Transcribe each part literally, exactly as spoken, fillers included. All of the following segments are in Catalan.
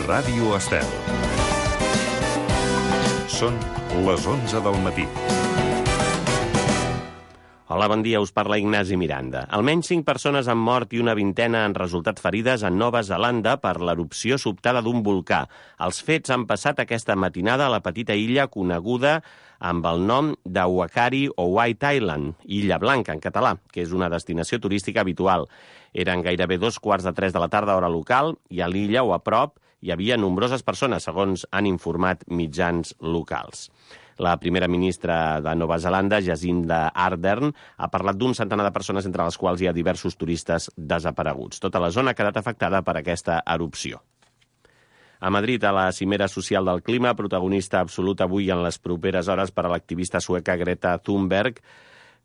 Ràdio Estel. Són les onze del matí. Hola, bon dia, us parla Ignasi Miranda. Almenys cinc persones han mort i una vintena han resultat ferides a Nova Zelanda per l'erupció sobtada d'un volcà. Els fets han passat aquesta matinada a la petita illa coneguda amb el nom de Whakaari o White Island, Illa Blanca en català, que és una destinació turística habitual. Eren gairebé dos quarts de tres de la tarda hora local i a l'illa o a prop hi havia nombroses persones, segons han informat mitjans locals. La primera ministra de Nova Zelanda, Jacinda Ardern, ha parlat d'un centenar de persones, entre les quals hi ha diversos turistes desapareguts. Tota la zona ha quedat afectada per aquesta erupció. A Madrid, a la cimera social del clima, protagonista absolut avui en les properes hores per a l'activista sueca Greta Thunberg.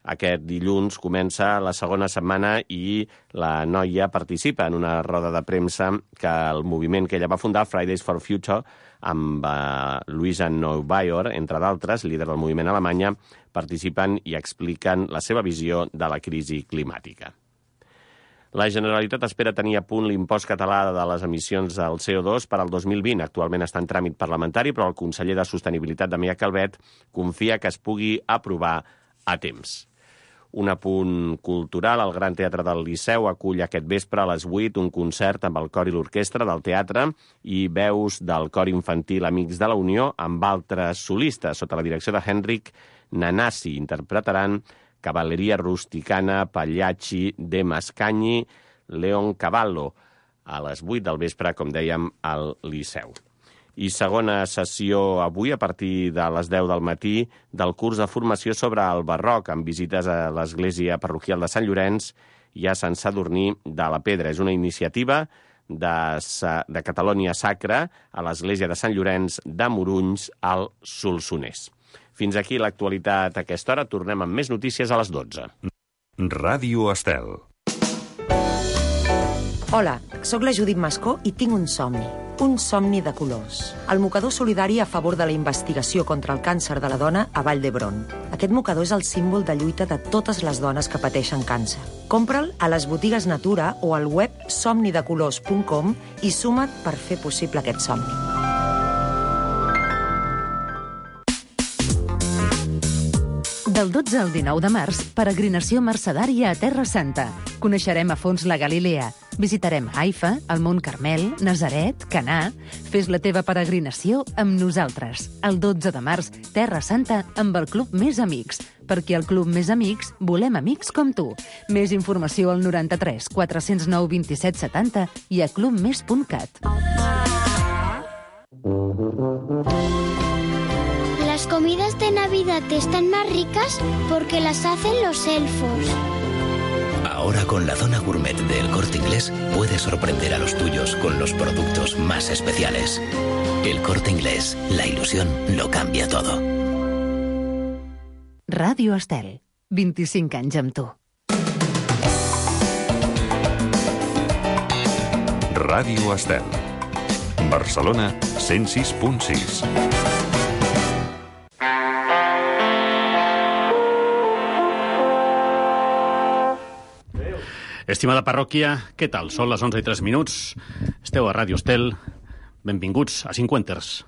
Aquest dilluns comença la segona setmana i la noia participa en una roda de premsa que el moviment que ella va fundar, Fridays for Future, amb uh, Luisa Neubauer, entre d'altres, líder del moviment a Alemanya, participen i expliquen la seva visió de la crisi climàtica. La Generalitat espera tenir a punt l'impost català de les emissions del C O dos per al dos mil vint. Actualment està en tràmit parlamentari, però el conseller de Sostenibilitat, Damià Calvet, confia que es pugui aprovar a temps. Un apunt cultural, el Gran Teatre del Liceu acull aquest vespre a les vuit un concert amb el cor i l'orquestra del teatre i veus del cor infantil Amics de la Unió amb altres solistes. Sota la direcció de Henrik Nanasi interpretaran Cavalleria Rusticana, Pagliacci, De Mascagni, Leon Cavallo, a les vuit del vespre, com dèiem, al Liceu. I segona sessió avui, a partir de les deu del matí, del curs de formació sobre el barroc, amb visites a l'església parroquial de Sant Llorenç i a Sant Sadurní de la Pedra. És una iniciativa de, de Catalonia Sacra a l'església de Sant Llorenç de Morunys, al Solsonès. Fins aquí l'actualitat a aquesta hora. Tornem amb més notícies a les dotze. Ràdio Estel. Hola, sóc la Judit Mascó i tinc un somni. Un somni de colors. El mocador solidari a favor de la investigació contra el càncer de la dona a Vall d'Hebron. Aquest mocador és el símbol de lluita de totes les dones que pateixen càncer. Compra'l a les botigues Natura o al web somni de colors punt com i suma't per fer possible aquest somni. Del dotze al dinou de març, peregrinació mercedària a Terra Santa. Coneixerem a fons la Galilea. Visitarem Haifa, el Mont Carmel, Nazaret, Canà. Fes la teva peregrinació amb nosaltres. El dotze de març, Terra Santa amb el Club Més Amics. Perquè al Club Més Amics volem amics com tu. Més informació al noranta-tres quatre cents nou vint-i-set setanta i a club més punt cat. Las comidas de Navidad están más ricas porque las hacen los elfos. Ahora con la zona gourmet de El Corte Inglés puedes sorprender a los tuyos con los productos más especiales. El Corte Inglés, la ilusión lo cambia todo. Ràdio Estel, vint-i-cinc anys amb tu. Ràdio Estel. Barcelona, cent sis punt sis. Estimada parròquia, què tal? Són les onze i tres minuts. Esteu a Ràdio Estel. Benvinguts a Cinquenters.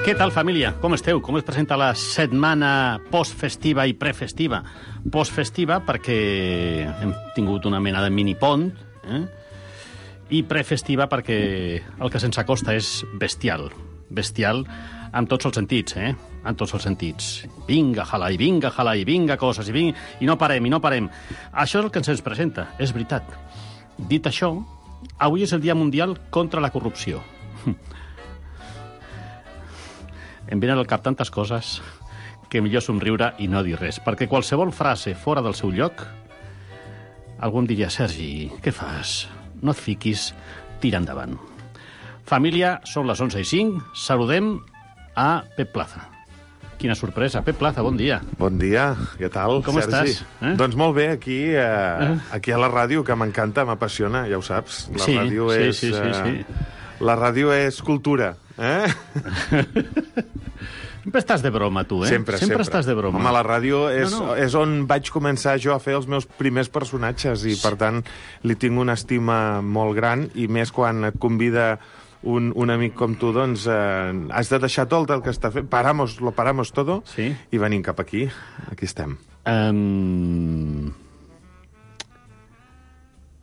Què tal, família? Com esteu? Com es presenta la setmana postfestiva i prefestiva? Postfestiva perquè hem tingut una mena de mini-pont, eh? I prefestiva perquè el que se'ns acosta és bestial. Bestial amb tots els sentits, eh? Amb tots els sentits. Vinga, jalai, vinga, jalai, vinga, coses, i, vinga, i no parem, i no parem. Això és el que se'ns presenta, és veritat. Dit això, avui és el Dia Mundial contra la Corrupció. Em venen al cap tantes coses que millor somriure i no dir res, perquè qualsevol frase fora del seu lloc, algú em diria, Sergi, què fas? No et fiquis, tira endavant. Família, són les onze i cinc, saludem a Pep Plaza. Quina sorpresa. Pep Plaza, bon dia. Bon dia, què tal, Com Sergi? estàs? Eh? Doncs molt bé, aquí, eh, aquí a la ràdio, que m'encanta, m'apassiona, ja ho saps. La Sí, ràdio sí, és, sí, sí, eh, sí. La ràdio és cultura, eh? Sempre estàs de broma, tu, eh? Sempre, sempre. Sempre estàs de broma. Home, la ràdio és, No, no. és on vaig començar jo a fer els meus primers personatges i, per tant, li tinc una estima molt gran, i més quan et convida un, un amic com tu, doncs eh, has de deixar tot el que està fent, paramos, lo paramos todo, Sí. i venim cap aquí. Aquí estem. Um...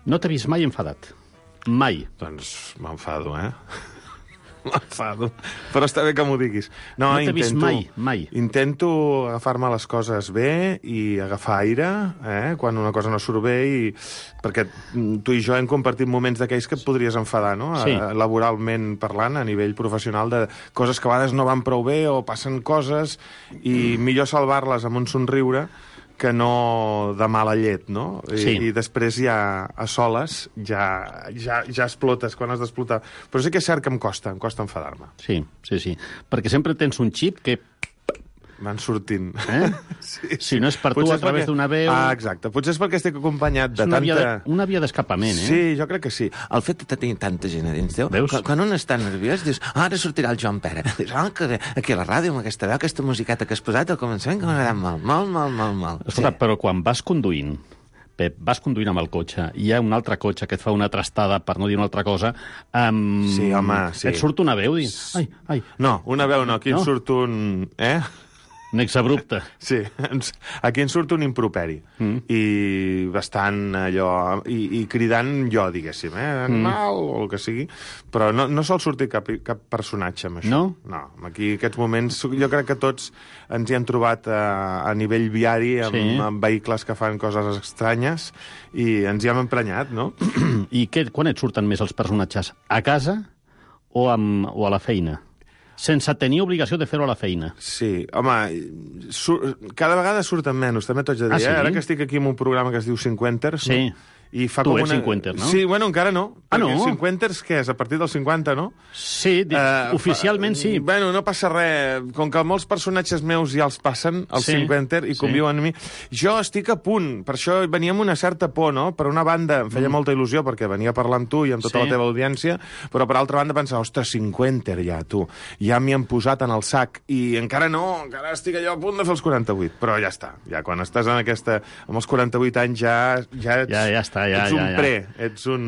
No t'he vist mai enfadat. Mai. Doncs m'enfado, eh? M'enfado. Però està bé que m'ho diguis. No t'he vist mai, mai. Intento agafar-me les coses bé i agafar aire, eh? Quan una cosa no surt bé, i... perquè tu i jo hem compartit moments d'aquells que et podries enfadar, no? Sí. A, laboralment parlant, a nivell professional, de coses que a vegades no van prou bé o passen coses, i millor salvar-les amb un somriure que no de mala llet, no? I, Sí. i després ja a soles ja, ja, ja explotes quan has d'explotar. Però sí que és cert que em costa, em costa enfadar-me. Sí, sí, sí. Perquè sempre tens un xip que... Van sortint. Eh? Sí. Si no és per tu, Potser a és través perquè- d'una veu... Ah, exacte. Potser és perquè estic acompanyat És de una tanta... via de- una via d'escapament, eh? Sí, jo crec que sí. El fet de tenir tanta gent a dins teu, Veus? quan, quan un està nerviós, dius, ah, ara sortirà el Joan Pere. Dius, ah, que bé, aquí a la ràdio, amb aquesta veu, aquesta musiqueta que has posat al començament, que m'ha agradat molt, molt, molt, molt, molt. Escolta, però quan vas conduint, Pep, vas conduint amb el cotxe, i hi ha un altre cotxe que et fa una trastada, per no dir una altra cosa, um, Sí, home, sí. et surt una veu i... Ai, ai, No, una veu no, aquí No? en surt un... Eh? un exabrupte. Sí, ens, aquí en surt un improperi. Mm. I bastant allò... I, i cridant jo, diguéssim, eh? Animal, mm. o el que sigui. Però no, no sol sortir cap, cap personatge amb això. No? No, aquí aquests moments... Jo crec que tots ens hi hem trobat a, a nivell viari amb, Sí. amb vehicles que fan coses estranyes, i ens hi hem emprenyat, no? I què, quan et surten més els personatges? A casa o, amb, o a la feina? Sense tenir obligació de fer-ho a la feina. Sí, home, sur, cada vegada surten menys, també t'ho haig de dir. Ah, sí? Eh? Ara que estic aquí en un programa que es diu Cinquenters, Sí. no? I fa Tu com ets una... cinquenter, no? Sí, bueno, encara no. Ah, no? Perquè Cinquenters, què és? A partir dels cinquanta, no? Sí, di- Eh, oficialment sí. Bueno, no passa res. Com que molts personatges meus ja els passen, els Sí, cinquenter, i sí. conviuen amb mi. Jo estic a punt. Per això venia amb una certa por, no? Per una banda, em feia mm. molta il·lusió, perquè venia a parlar amb tu i amb tota Sí. la teva audiència, però per altra banda pensava, ostres, cinquenter ja, tu. Ja m'hi han posat en el sac. I encara no, encara estic allò a punt de fer els quaranta-vuit. Però ja està. Ja quan estàs en aquesta... amb els quaranta-vuit anys ja, ja ets, Ja, ja està, ja, ets un ja, ja. pre, ets un...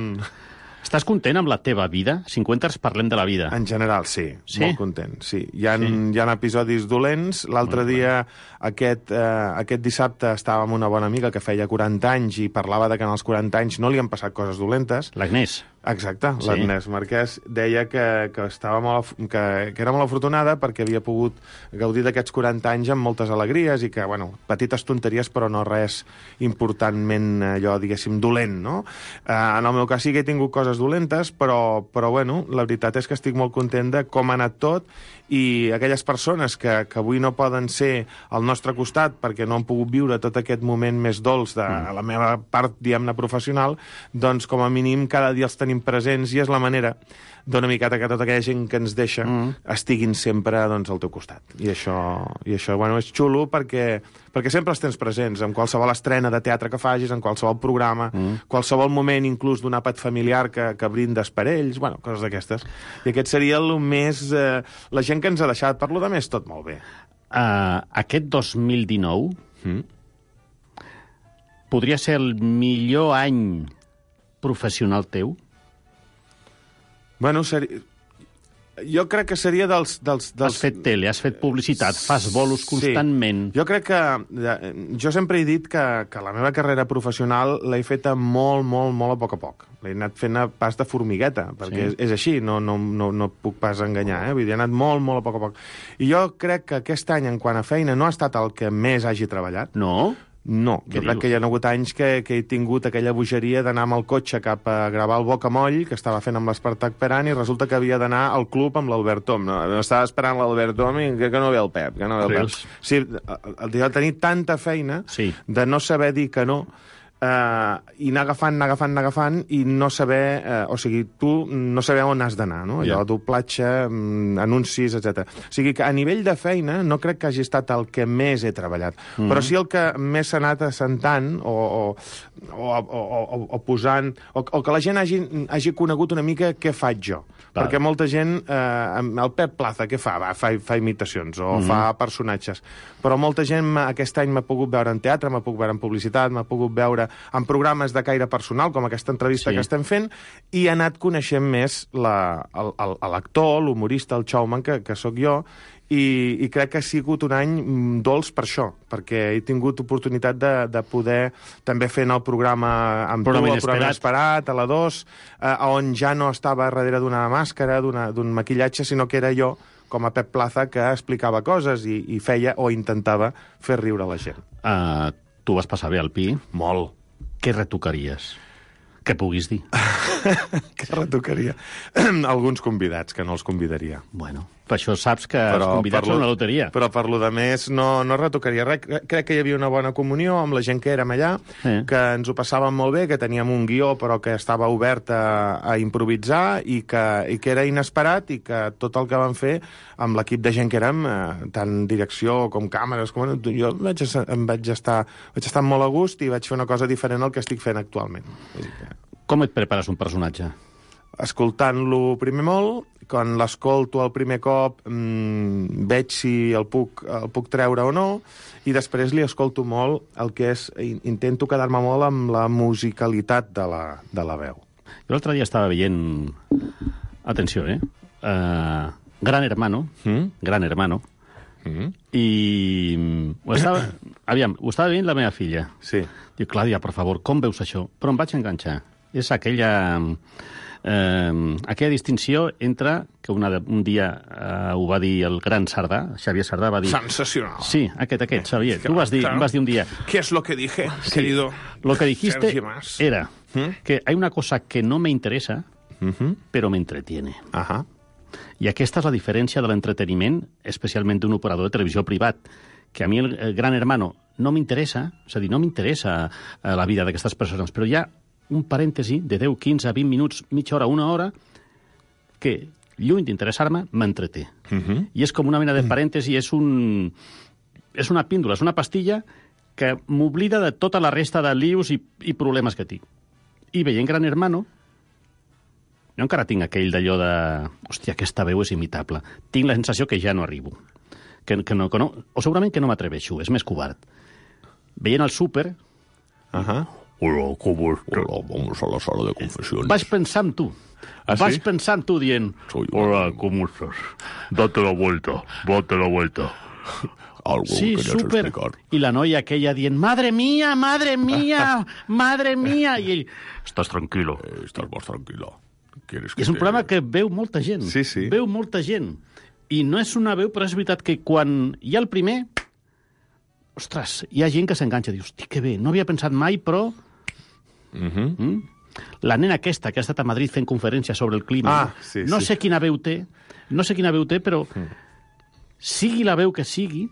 Estàs content amb la teva vida? cinquanters parlem de la vida. En general, sí. Sí? Molt content, sí. Hi ha, Sí. hi ha episodis dolents. L'altre dia, aquest, eh, aquest dissabte, estava amb una bona amiga que feia quaranta anys i parlava de que en els quaranta anys no li han passat coses dolentes. L'Agnès. Exacte, Sí. l'Agnès Marquès deia que, que, estava molt, af- que, que era molt afortunada perquè havia pogut gaudir d'aquests quaranta anys amb moltes alegries i que, bueno, petites tonteries però no res importantment allò, diguéssim, dolent, no? Eh, en el meu cas sí que he tingut coses dolentes, però, però bueno, la veritat és que estic molt content de com ha anat tot, i aquelles persones que, que avui no poden ser al nostre costat perquè no han pogut viure tot aquest moment més dolç de Mm. la meva part, diguem-ne, professional, doncs com a mínim cada dia els tenim presents, i és la manera d'una miqueta que tota aquella gent que ens deixa Mm. estiguin sempre, doncs, al teu costat. I això, i això bueno, és xulo perquè, perquè sempre els tens presents, en qualsevol estrena de teatre que facis, en qualsevol programa, mm. qualsevol moment, inclús d'un àpat familiar que, que brindes per ells, bueno, coses d'aquestes. I aquest seria el més... Eh, la gent que ens ha deixat. Per lo de més, tot molt bé. Uh, aquest dos mil dinou Mm. podria ser el millor any professional teu? Bueno, seri... jo crec que seria dels... dels, dels... Has fet tele, has fet publicitat, fas bolos constantment. Sí. Jo crec que... eh, Jo sempre he dit que, que la meva carrera professional l'he feta molt, molt, molt a poc a poc. L'he anat fent a pas de formigueta, perquè Sí. és, és així, no, no, no, no puc pas enganyar, eh? Vull dir, he anat molt, molt a poc a poc. I jo crec que aquest any, en quant a feina, no ha estat el que més hagi treballat. No? No, Què jo crec dius? que hi ha hagut anys que, que he tingut aquella bogeria d'anar amb el cotxe cap a gravar el Bocamoll, que estava fent amb l'Espartac Peran, i resulta que havia d'anar al club amb l'Albert Tom. No, estava esperant l'Albert Tom i que, que no ve el Pep, que no ve el Pep. Rius. Sí, el de tenir tanta feina, Sí. de no saber dir que no, Uh, i anar agafant, anar agafant, anar agafant i no saber, uh, o sigui, tu no saber on has d'anar, no? Allò, Ja. doblatge, um, anuncis, etcètera. O sigui que a nivell de feina no crec que hagi estat el que més he treballat, mm. però sí el que més s'ha anat assentant o, o, o, o, o, o posant, o, o que la gent hagi, hagi conegut una mica què faig jo. Val. Perquè molta gent, eh, el Pep Plaza, què fa? Va, fa, fa imitacions o mm. fa personatges. Però molta gent aquest any m'ha pogut veure en teatre, m'ha pogut veure en publicitat, m'ha pogut veure en programes de caire personal, com aquesta entrevista Sí. que estem fent, i he anat coneixent més la- el- el- l'actor, l'humorista, el showman, que, que sóc jo, i, i crec que ha sigut un any mm, dolç per això, perquè he tingut oportunitat de, de poder també fer en el programa amb Programa tu, el programa Inesperat. Esperat, a la dos, eh, on ja no estava darrere d'una màscara, d'una- d'un maquillatge, sinó que era jo, com a Pep Plaza, que explicava coses i, i feia o intentava fer riure la gent. Uh, tu vas passar bé al Pi. Molt. Què retocaries? Que puguis dir. Que retocaria? Alguns convidats, que no els convidaria. Bueno, per això saps que els convidats per són lo- una loteria. Però per lo de més no, no retocaria res. Cre- Crec que hi havia una bona comunió amb la gent que érem allà, Eh. que ens ho passàvem molt bé, que teníem un guió però que estava obert a, a improvisar i que, i que era inesperat i que tot el que vam fer amb l'equip de gent que érem, eh, tant direcció com càmeres, com... jo vaig, es- em vaig estar, vaig estar molt a gust i vaig fer una cosa diferent al que estic fent actualment. Vull dir que... Com et prepares un personatge? Escoltant-lo primer molt, quan l'escolto el primer cop mmm, veig si el puc, el puc treure o no, i després li escolto molt el que és... Intento quedar-me molt amb la musicalitat de la, de la veu. Jo l'altre dia estava veient... Atenció, eh? Uh, Gran Hermano. Mm? Gran Hermano. Mm? I... Ho estava... Aviam, ho estava veient la meva filla. Sí. Diu, Clàudia, per favor, com veus això? Però em vaig enganxar. És aquella... Eh, aquella distinció entre, que una de, un dia eh, ho va dir el gran Sardà, Xavier Sardà, va dir... Sensacional. Sí, aquest, aquest, Xavier. Tu vas dir, Claro. vas dir un dia... ¿Qué es lo que dije, Sí. querido Lo que dijiste Sergi Mas? era ¿Mm? que hay una cosa que no me interesa, Uh-huh. però me entretiene. Ahà. I aquesta és la diferència de l'entreteniment, especialment d'un operador de televisió privat, que a mi el, el Gran Hermano no m'interessa, és a dir, no m'interessa eh, la vida d'aquestes persones, però hi ha un parèntesi de deu, quinze, vint minuts, mitja hora, una hora, que, lluny d'interessar-me, m'entreté. Uh-huh. I és com una mena de parèntesi, és un... és una píndola, és una pastilla que m'oblida de tota la resta de lius i, i problemes que tinc. I veient Gran Hermano, jo encara tinc aquell d'allò de... Hòstia, aquesta veu és imitable. Tinc la sensació que ja no arribo. Que, que no, que no, o segurament que no m'atreveixo, és més covard. Veient el súper... Ahà. Hola, ¿cómo está? Hola, vamos a la sala de confesiones. Vaig pensar en tu. ¿Ah, Vaig sí? pensar en tu dient... Soy un- Hola, ¿cómo estás? Date la vuelta, date la vuelta. Algo Sí, querías súper. explicar. I la noia aquella dient, madre mía, madre mía, madre mía. I ell, estàs tranquilo. Eh, estás más tranquila. ¿Quieres que I és un te- programa que veu molta gent. Sí, sí. Veu molta gent. I no és una veu, però és veritat que quan hi ha el primer... Ostres, hi ha gent que s'enganxa. Dius, hosti, que bé, no havia pensat mai, però... Uh-huh. Mm? La nena aquesta, que ha estat a Madrid fent conferències sobre el clima, Ah, no? sí, no sí. sé quina veu té, no sé quina veu té, però sigui la veu que sigui,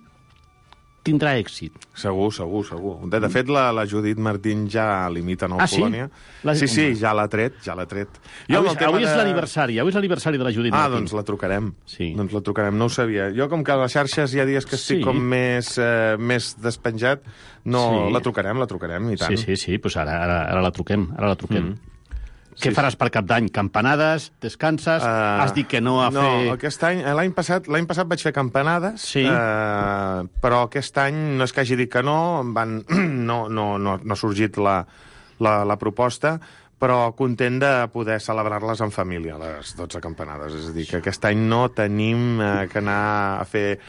tindrà èxit. Segur, segur, segur. De, de fet, la, la Judit Martín ja limita en el Ah, sí? Polònia. La- Sí, sí, Home. ja l'ha tret, ja l'ha tret. Jo, amb avui, el tema avui és de- l'aniversari, avui és l'aniversari de la Judit Ah, Martín. doncs la trucarem. Sí. Doncs la trucarem, no ho sabia. Jo, com que a les xarxes hi ha dies que estic Sí. com més, eh, més despenjat, no, Sí. la trucarem, la trucarem, i tant. Sí, sí, sí, pues ara, ara, ara la truquem, ara la truquem. Mm. Què Sí, faràs per Cap d'Any? Campanades? Descanses? Uh, Has dit que no a no, fer... aquest any, eh, l'any passat, l'any passat vaig fer campanades, Sí. eh, però aquest any no és que hagi dit que no, em van, no, no, no, no ha sorgit la, la, la proposta, però content de poder celebrar-les en família, les dotze campanades. És a dir, que aquest any no tenim eh, que anar a fer...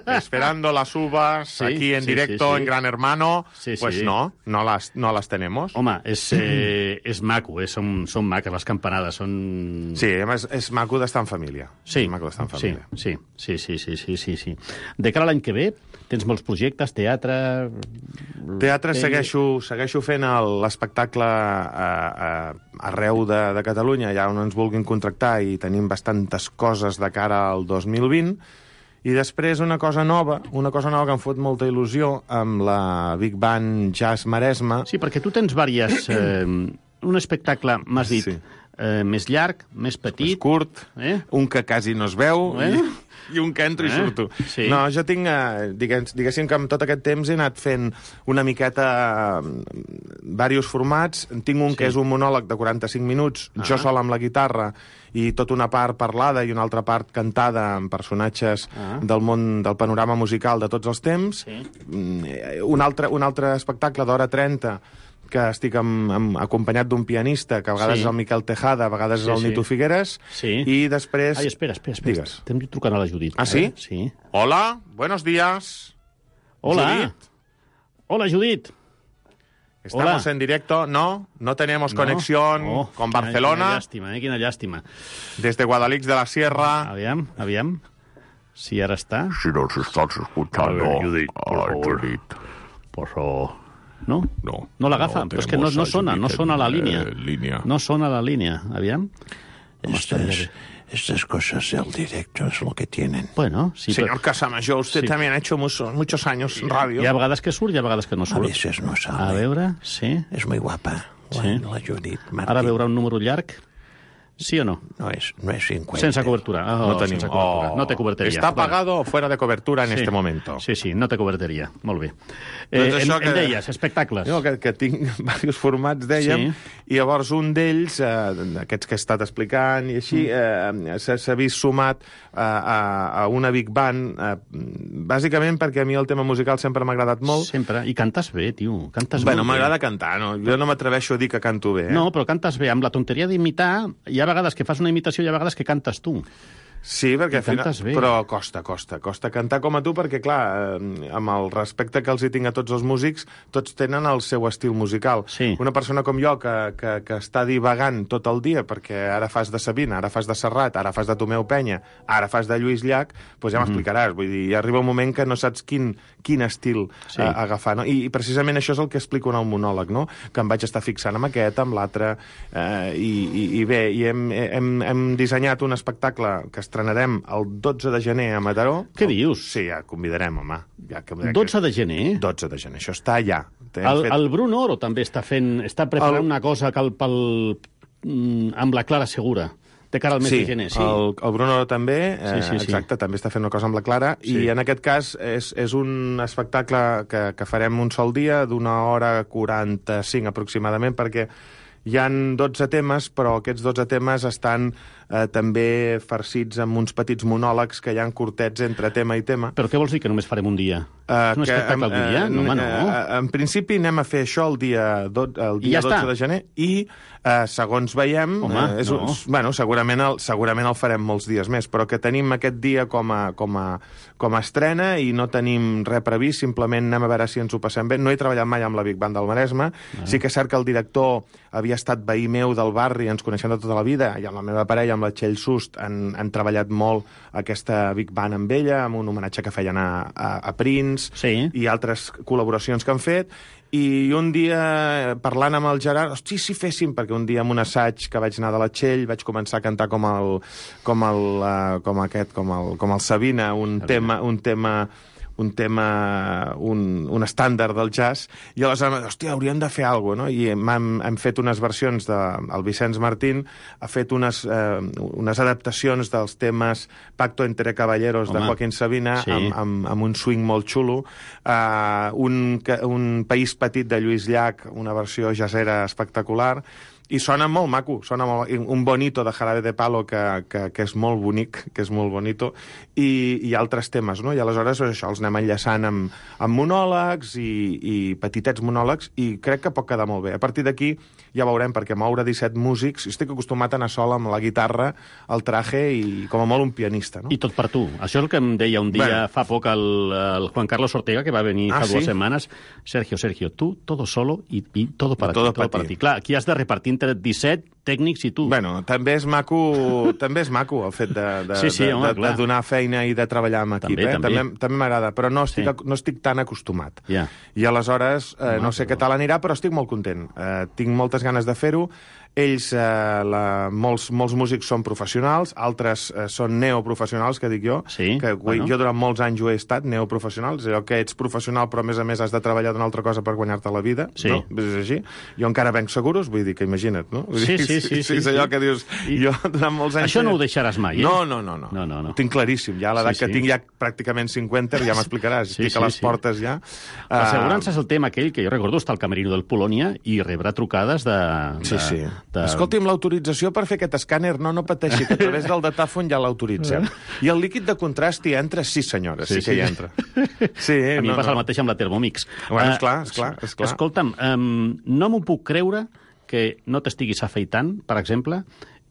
Esperando las uvas, Sí, aquí en sí, directo, sí, sí. en Gran Hermano. Sí, Pues sí. no, no las, no las tenemos. Home, és, eh, és maco, eh? són, són maques les campanades, són... Sí, a més, és maco d'estar en família. Sí, És maco d'estar en sí, família. sí, sí, sí, sí, sí, sí, sí. De cara a l'any que ve, tens molts projectes, teatre... Teatre pel·li- segueixo, segueixo fent el- l'espectacle a, a, arreu de, de Catalunya, ja on ens vulguin contractar, i tenim bastantes coses de cara al dos mil vint, I després una cosa nova, una cosa nova que em fot molta il·lusió amb la Big Band Jazz Maresme. Sí, perquè tu tens diverses... Eh, un espectacle, m'has dit, sí. eh, més llarg, més petit... Més curt, eh? un que quasi no es veu eh? i, i un que entro eh? i surto. Sí. No, jo tinc, eh, digués, diguéssim que amb tot aquest temps he anat fent una miqueta eh, diversos formats. Tinc un sí. que és un monòleg de quaranta-cinc minuts, ah. jo sol amb la guitarra, i tota una part parlada i una altra part cantada amb personatges ah. del món, del panorama musical de tots els temps. Sí. Un, altre, un altre espectacle d'hora trenta que estic amb, amb, acompanyat d'un pianista, que a vegades sí. és el Miquel Tejada, a vegades sí, és el Nito sí. Figueres, sí. i després... Ai, espera, espera, espera. Estem trucant a la Judit. Ah, sí? Eh? Sí. Hola, buenos días. Hola. Judit. Hola, Judit. Estamos Hola. en directo, no, no tenemos no. conexión oh, con Barcelona. Quina llàstima, eh? Quina llàstima. Desde Guadalix de la Sierra. Aviam, aviam. Si ara està... Si nos estás escuchando, a ver, Judit, por Ay, favor. Judit. Por favor. ¿No? No. No l'agafa, no, però és que no, no sona, no sona la línia. Eh, línea. No sona la línia. Aviam. Estas, estas cosas del directo es lo que tienen. Bueno, sí, Señor pero... Casamayor, usted sí. también ha hecho muchos, muchos años en radio. Hi ha vegades que surt i ha vegades que no surt. A veces no sale. A veure, sí. Es muy guapa. Sí. La Judit Martín. Ara veurà un número llarg. Sí o no? No es, no es cincuenta. Sense cobertura. Oh, no tenim. Sense cobertura. Oh. No té coberteria. Està apagado o fuera de cobertura en sí. este momento. Sí, sí, no té coberteria. Molt bé. Eh, doncs em, que... em deies, espectacles. Jo, que, que tinc diversos formats, dèiem, sí. i llavors un d'ells, eh, aquests que he estat explicant i així, eh, s'ha vist sumat a, a, a una Big Band, eh, bàsicament perquè a mi el tema musical sempre m'ha agradat molt. Sempre. I cantes bé, tio. Cantes bueno, molt bé. M'agrada cantar, no? Jo no m'atreveixo a dir que canto bé. Eh? No, però cantes bé. Amb la tonteria d'imitar, hi ha vegades que fas una imitació i hi ha vegades que cantes tu. Sí, perquè I cantes bé. Però costa, costa, costa cantar com a tu, perquè, clar, amb el respecte que els hi tinc a tots els músics, tots tenen el seu estil musical. Sí. Una persona com jo, que, que, que està divagant tot el dia, perquè ara fas de Sabina, ara fas de Serrat, ara fas de Tomeu Penya, ara fas de Lluís Llach, doncs ja m'explicaràs. Vull dir, ja arriba un moment que no saps quin, quin estil sí. a, agafar, no? I, I precisament això és el que explico en el monòleg, no? Que em vaig estar fixant amb aquest, amb l'altre, eh, i, i, i bé, i hem, hem, hem dissenyat un espectacle que estrenarem el dotze de gener a Mataró. Què dius? Sí, ja convidarem, home. Ja que, dotze de gener? dotze de gener, això està allà. El, fet... el Bruno Oro també està fent, està preparant el... una cosa que el, pel, amb la Clara Segura, de cara al mes sí, de gener. Sí, el, el Bruno Oro també, eh, sí, sí, exacte, sí. també està fent una cosa amb la Clara, sí. I en aquest cas és, és un espectacle que, que farem un sol dia, d'una hora quaranta-cinc aproximadament, perquè hi han dotze temes, però aquests dotze temes estan eh, també farcits amb uns petits monòlegs que hi ha curtets entre tema i tema. Però què vols dir, que només farem un dia? Uh, és un espectacle que, un dia? No, home, no. Uh, en principi anem a fer això el dia, do, el dia ja dotze està. de gener i, uh, segons veiem, home, uh, és, no. bueno, segurament el, segurament el farem molts dies més, però que tenim aquest dia com a, com a, com a estrena i no tenim res previst, simplement anem a veure si ens ho passem bé. No he treballat mai amb la Big Band del Maresme, ah. Sí que és cert que el director havia estat veí meu del barri, ens coneixem de tota la vida, i amb la meva parella, amb la Txell Sust, han, han treballat molt aquesta Big Band amb ella, amb un homenatge que feien a, a, a Prince, sí. I altres col·laboracions que han fet, i un dia, parlant amb el Gerard, hosti, si féssim, perquè un dia en un assaig que vaig anar de la Txell vaig començar a cantar com el, com el, uh, com aquest, com el, com el Sabina, un Sabina. tema, un tema un tema, un, un estàndard del jazz, i aleshores, hòstia, hauríem de fer alguna cosa, no? I hem, hem fet unes versions de... El Vicenç Martín ha fet unes, eh, unes adaptacions dels temes Pacto entre Caballeros Home, de Joaquín Sabina, sí. amb, amb, amb un swing molt xulo, uh, un, un País petit de Lluís Llach, una versió jazzera espectacular, i sona molt maco, sona molt, un bonito de Jarabe de Palo que, que, que és molt bonic, que és molt bonito, i, i altres temes, no? I aleshores això els anem enllaçant amb, amb monòlegs i, i petitets monòlegs, i crec que pot quedar molt bé. A partir d'aquí ja veurem, perquè moure disset músics, estic acostumat a anar sol amb la guitarra, el traje i com a molt un pianista, no? I tot per tu. Això és el que em deia un dia bueno. fa poc el, el Juan Carlos Ortega, que va venir ah, fa ¿sí? dues setmanes. Sergio, Sergio, tu todo solo y, y todo para todo ti, todo para ti. Clar, aquí has de repartir entre disset tècnics i tu. Bueno, també és maco, també és maco el fet de, de, sí, sí, de, home, de, de donar feina i de treballar amb equip. També, eh? també. també, també m'agrada, però no estic, sí. no estic tan acostumat. Yeah. I aleshores, eh, home, no sé què tal anirà, però estic molt content. Eh, tinc moltes ganes de fer-ho. ells, eh, la, molts, molts músics són professionals, altres eh, són neoprofessionals, que dic jo, sí, que bueno. jo durant molts anys ho he estat, neoprofessional, és allò que ets professional però a més a més has de treballar d'una altra cosa per guanyar-te la vida, sí. no? És així. Jo encara venc seguros, vull dir que imagina't, no? Sí, sí, sí. sí, és allò sí. que dius, I... jo durant molts anys... Això no ho deixaràs mai, eh? No, no, no. no. no, no, no. Ho tinc claríssim, ja a l'edat sí, que sí. tinc ja pràcticament cinquanta, ja m'explicaràs, sí, estic sí, a les sí. portes ja. L'assegurança uh... és el tema aquell que jo recordo estar al camerino del Polònia i rebre trucades de... Sí, de, sí. De... Escolti'm, l'autorització per fer aquest escàner, no, no pateixi, que a través del datàfon ja l'autoritzem. I el líquid de contrast hi entra, sí senyora, sí, sí que hi entra. Sí, a mi no, em passa no. el mateix amb la Thermomix. Bueno, esclar, esclar, esclar. Escolta'm, um, no m'ho puc creure que no t'estiguis afeitant, per exemple,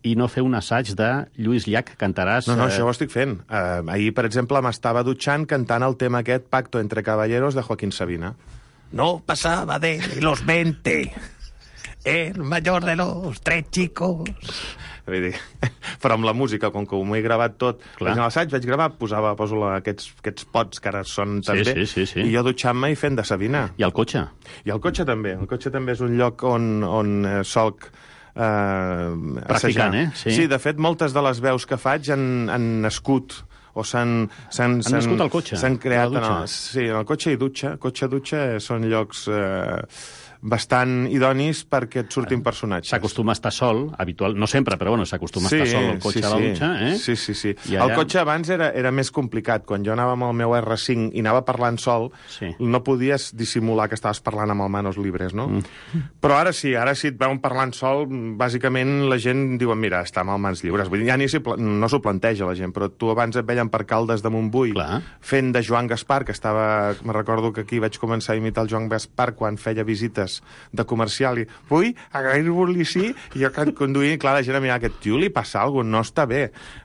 i no fer un assaig de Lluís Llach, cantaràs... No, no, eh... això ho estic fent. Uh, ahir, per exemple, m'estava dutxant cantant el tema aquest Pacto entre caballeros de Joaquín Sabina. No pasaba de los veinte, el mayor de los tres chicos. Vull dir, però amb la música, com que m'ho he gravat tot, vaig anar a l'assaig, vaig gravar, posava, poso la, aquests, aquests pots que ara són també, sí, sí, sí, sí. i jo dutxant-me i fent de Sabina. I el cotxe? I el cotxe també. El cotxe també és un lloc on, on eh, solc eh, practicant, eh? Sí. sí, de fet, moltes de les veus que faig han, han nascut o s'han... Han nascut al cotxe? S'han creat en el, sí, en el cotxe i dutxa. Cotxe-dutxa són llocs... Eh, bastant idonis perquè et surtin personatges. S'acostuma a estar sol, habitual, no sempre, però bueno, s'acostuma sí, a estar sol el cotxe sí, a la dutxa, eh? Sí, sí, sí. allà... El cotxe abans era, era més complicat. Quan jo anava amb el meu erre cinc i anava parlant sol, sí. no podies dissimular que estaves parlant amb el manos libres, no? Mm. Però ara sí, ara si et veuen parlant sol, bàsicament la gent diuen, mira, està amb el mans lliures. Vull dir, ja ni si, no s'ho planteja la gent, però tu abans et veien per Caldes de Montbui Clar. fent de Joan Gaspar, que estava... Me recordo que aquí vaig començar a imitar el Joan Gaspar quan feia visites de comercial i vull agrair-vos-li sí i jo conduint, clar, la gent a mirar aquest tio li passa alguna cosa, no està bé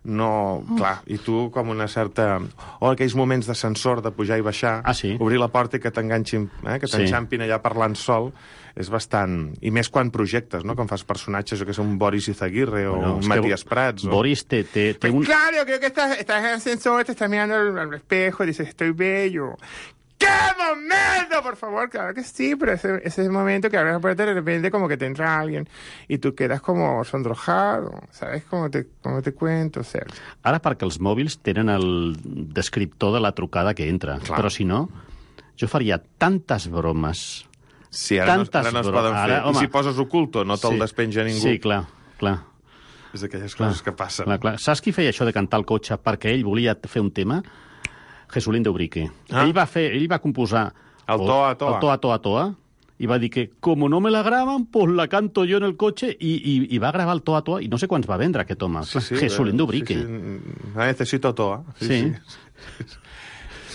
no, clar, i tu com una certa o aquells moments d'ascensor de pujar i baixar, ah, sí? obrir la porta i que t'enganxin, eh, que t'enxampin allà parlant sol, és bastant... I més quan projectes, no? Quan fas personatges, jo que sé, un Boris Izaguirre o bueno, un Matías Prats. O... Boris té, té, té un... Claro, creo que estás, estás en el ascensor, te estás mirando al, al espejo y dices, estoy bello. ¡Qué momento! Por favor, claro que sí, pero ese, ese momento que abres la puerta y de repente como que te entra alguien y tú quedas como sonrojado, ¿sabes? Como te, como te cuento, Sergio. Ara perquè els mòbils tenen el descriptor de la trucada que entra, clar. Però si no, jo faria tantes bromes... Sí, ara, no, ara no es poden fer. Ara, home, I si poses oculto, no te'l sí. despenja ningú. Sí, clar, clar. És d'aquelles coses clar, que passen. Clar, clar. Saps qui feia això de cantar al cotxe perquè ell volia fer un tema? Jesulín de Ubrique. Ah. Ell va fer, ell va composar... El Toa a Toa. El Toa Toa Toa. I va dir que, como no me la graban, pues la canto yo en el coche. I, i, i va gravar el Toa Toa. I no sé quants va vendre, aquest home. Sí, sí, Jesulín de Ubrique. Sí, sí. Necesito Toa. Sí, sí. sí.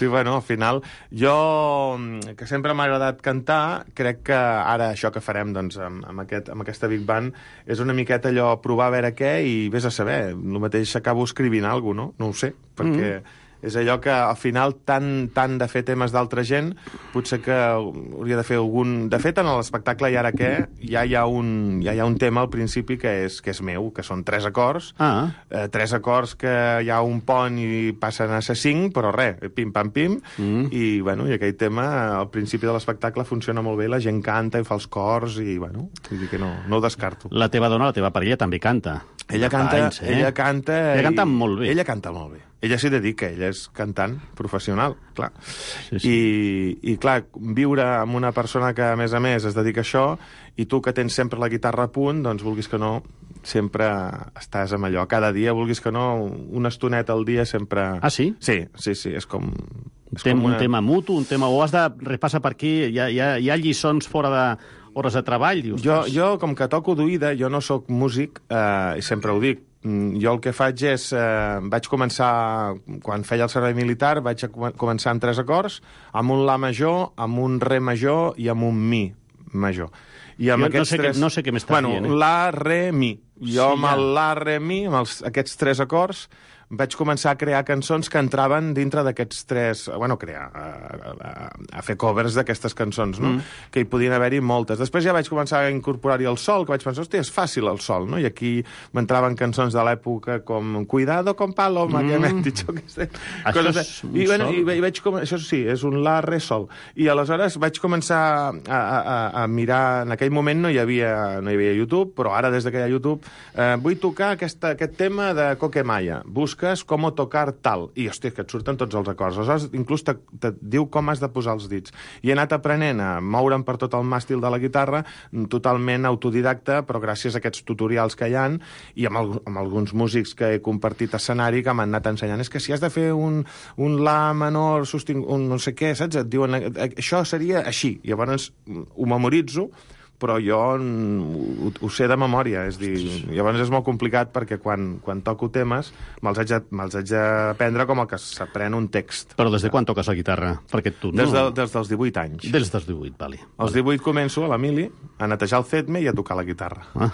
Sí, bueno, al final, jo, que sempre m'ha agradat cantar, crec que ara això que farem doncs, amb, amb, aquest, amb aquesta Big Band és una miqueta allò provar a veure què i vés a saber. El mateix acabo escrivint alguna cosa, no? No ho sé, perquè... Mm. És allò que al final tant, tant de fer temes d'altra gent potser que hauria de fer algun... De fet, en l'espectacle I ara què ja hi ha un, ja hi ha un tema al principi que és, que és meu, que són tres acords, ah. eh, tres acords que hi ha un pont i passen a ser cinc, però res, pim-pam-pim, mm. i, bueno, i aquell tema al principi de l'espectacle funciona molt bé, la gent canta i fa els cors i, bueno, vull dir que no, no ho descarto. La teva dona, la teva parella, també canta. Ella canta, anys, eh? ella canta... Ella canta molt bé. Ella canta molt bé. Ella s'hi dedica, ella és cantant professional, clar. Sí, sí. I, I, clar, viure amb una persona que, a més a més, es dedica a això, i tu que tens sempre la guitarra a punt, doncs, vulguis que no, sempre estàs amb allò. Cada dia, vulguis que no, una estoneta al dia sempre... Ah, sí? Sí, sí, sí, és com... És Tem, com una... Un tema mutu, un tema... O has de repassar per aquí, hi ha, hi ha, hi ha lliçons fora de hores de treball, dius? Jo, jo com que toco d'oïda, jo no sóc músic, eh, i sempre ho dic, jo el que faig és... Eh, vaig començar, quan feia el servei militar, vaig començar amb tres acords, amb un La major, amb un Re major i amb un Mi major. I amb jo aquests no sé, tres... que, no sé què m'estàs bueno, dient. Eh? La, Re, Mi. Jo sí, amb ja. el La, Re, Mi, amb els, aquests tres acords, vaig començar a crear cançons que entraven dintre d'aquests tres... Bueno, crear, a, a, a fer covers d'aquestes cançons, no? Mm. Que hi podien haver-hi moltes. Després ja vaig començar a incorporar-hi el sol, que vaig pensar, hòstia, és fàcil el sol, no? I aquí m'entraven cançons de l'època com Cuidado con Paloma, mm. que m'hem dit que sé. Això és un I, bueno, sol? i, i vaig com... Això sí, és un la, re, sol. I aleshores vaig començar a, a, a mirar... En aquell moment no hi havia, no hi havia YouTube, però ara, des que hi ha YouTube, eh, vull tocar aquesta, aquest tema de Coquemaya. Busques com tocar tal. I, hòstia, que et surten tots els acords. Aleshores, inclús te, te diu com has de posar els dits. I he anat aprenent a moure'm per tot el màstil de la guitarra, totalment autodidacta, però gràcies a aquests tutorials que hi ha, i amb, el, amb alguns músics que he compartit escenari que m'han anat ensenyant. És que si has de fer un, un la menor, sostingut, un no sé què, saps? Et diuen, això seria així. Llavors ho memoritzo, però jo ho, ho sé de memòria, és dir, llavors és molt complicat perquè quan, quan toco temes me'ls haig, me'ls haig d'aprendre com el que s'aprèn un text. Però des de quan toques la guitarra? Perquè tu no... Des, de, des dels divuit anys. Des dels divuit, vale. Als divuit començo a la mili a netejar el C E D M E i a tocar la guitarra. Ah.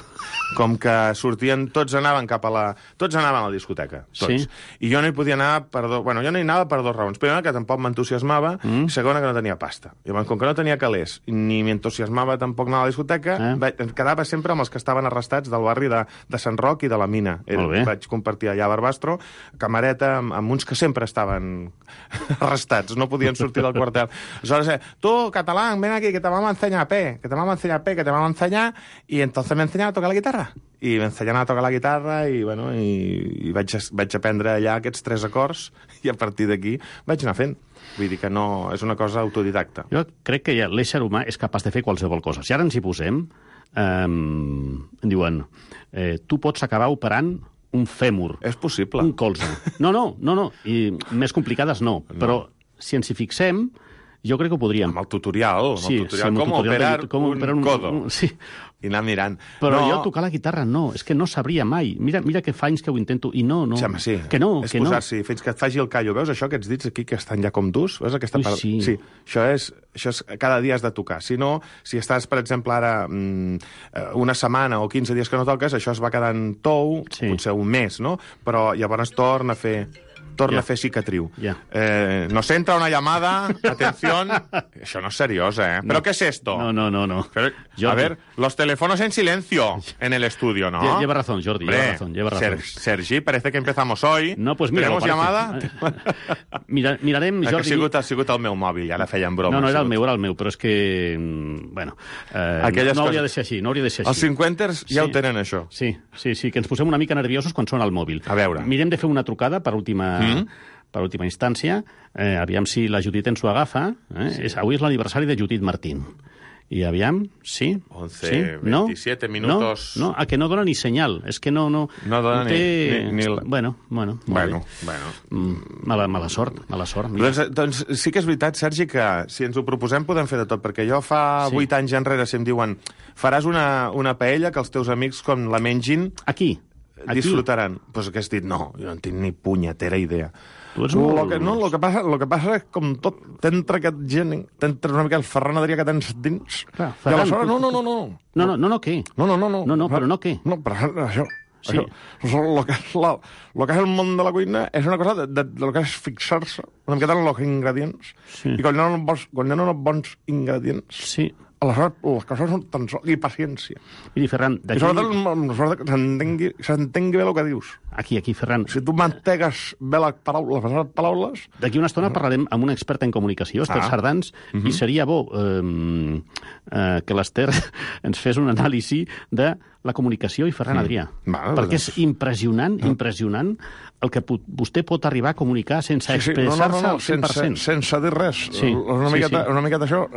Com que sortien, tots anaven cap a la... Tots anaven a la discoteca, tots. Sí. I jo no hi podia anar per dos... Bueno, jo no hi anava per dues raons. Primera, que tampoc m'entusiasmava, mm. i segona, que no tenia pasta. Llavors, com que no tenia calés, ni m'entusiasmava tampoc anar a la discoteca, eh? vaig, quedava sempre amb els que estaven arrestats del barri de, de Sant Roc i de la Mina. Era, vaig compartir allà a Barbastro, camareta, amb, amb uns que sempre estaven arrestats, no podien sortir del quartel. Aleshores, eh, tu, català, ven aquí, que te vamos a enseñar P, que te vamos a enseñar P, que te vamos a enseñar, y entonces me enseñan a tocar la guitarra. I m'ensenyaven a tocar la guitarra i, bueno, i, i vaig, vaig aprendre allà aquests tres acords i a partir d'aquí vaig anar fent. Vull dir que no... És una cosa autodidacta. Jo crec que ja l'ésser humà és capaç de fer qualsevol cosa. Si ara ens hi posem, eh, em diuen, eh, tu pots acabar operant un fèmur. És possible. Un colze. No, no, no, no. I més complicades no. no. Però si ens hi fixem, jo crec que ho podríem. Amb el tutorial. Amb sí, el tutorial. Sí, com tutorial operar de, com un, operar un codo. Un, sí. I anar mirant. Però no. jo tocar la guitarra no, és que no sabria mai. Mira, mira que fa anys que ho intento i no, no. Sí, home, sí. Que no, és que no. posar-s'hi fins que et faci el callo. Veus això, aquests dits aquí que estan ja com durs? Veus aquesta Ui, part? sí. Sí. Això és, això és... Cada dia has de tocar. Si no, si estàs, per exemple, ara mmm, una setmana o quinze dies que no toques, això es va quedant tou, sí. Potser un mes, no? Però llavors torna a fer... torna yeah. a fer cicatriu. Yeah. Eh, nos entra una llamada, atención... Això no és seriós, eh? No. ¿Pero qué es esto? No, no, no. no. Pero, a ver, los teléfonos en silencio en el estudio, ¿no? Lleva razón, Jordi, Hombre, lleva razón, lleva razón. Ser, Sergi, parece que empezamos hoy. No, pues mira, ¿Tenemos llamada? Mira, mirarem, Jordi... Ha sigut, ha sigut el meu mòbil, ja la feien broma. No, no, era el meu, era el meu, però és que... Bueno, eh, no coses... hauria de ser així, no hauria de ser així. Els cinquanters ja sí. ho tenen, això. Sí, sí, sí, que ens posem una mica nerviosos quan sona el mòbil. A veure. Mirem de fer una trucada per última... Mm? per última instància, eh, aviam si la Judit ens ho agafa. Eh? Sí. És, avui és l'aniversari de Judit Martín. I aviam, sí? once, sí? veintisiete no? minutos... No, no, a que no dona ni senyal. És que no... No, no dona no té... ni... ni, ni la... Bueno, bueno. Bueno, bueno. Mm, mala, mala sort, mala sort. Doncs, doncs sí que és veritat, Sergi, que si ens ho proposem podem fer de tot, perquè jo fa vuit sí. anys enrere si em diuen faràs una, una paella que els teus amics, com la mengin... Aquí. Aquí. Disfrutaran. Doncs pues que has dit, no, jo no en tinc ni punyetera idea. Molt... Lo que, no, el que, passa, lo que passa és com tot, t'entra aquest gent, t'entra una mica el Ferran Adrià que tens dins. Clar, Ferran, I aleshores, no, no, no, no. No, no, no, no, què? No, no, no. No, no, no però no què? No, però això... Sí. Això, lo, que és la, lo que és el món de la cuina és una cosa de, de, de lo que és fixar-se una miqueta en els ingredients. Sí. I quan hi ha uns bons, quan hi ha uns bons ingredients... Sí. Aleshores, les coses són tan sols... I paciència. Miri, Ferran, d'aquí... I sobretot que s'entengui, s'entengui bé el que dius. Aquí, aquí, Ferran. Si tu mantegues bé les paraules, les paraules... D'aquí una estona parlarem amb un expert en comunicació, Esther ah. Sardans, uh -huh. i seria bo eh, eh, que l'Esther ens fes un anàlisi de la comunicació i Ferran Adrià. Mm. Va, perquè és impressionant, impressionant el que vostè pot arribar a comunicar sense sí, sí. expressar-se no, no, no, al cent per cent. Sense, sense dir res. Sí, una, miqueta, sí, sí. una miqueta això,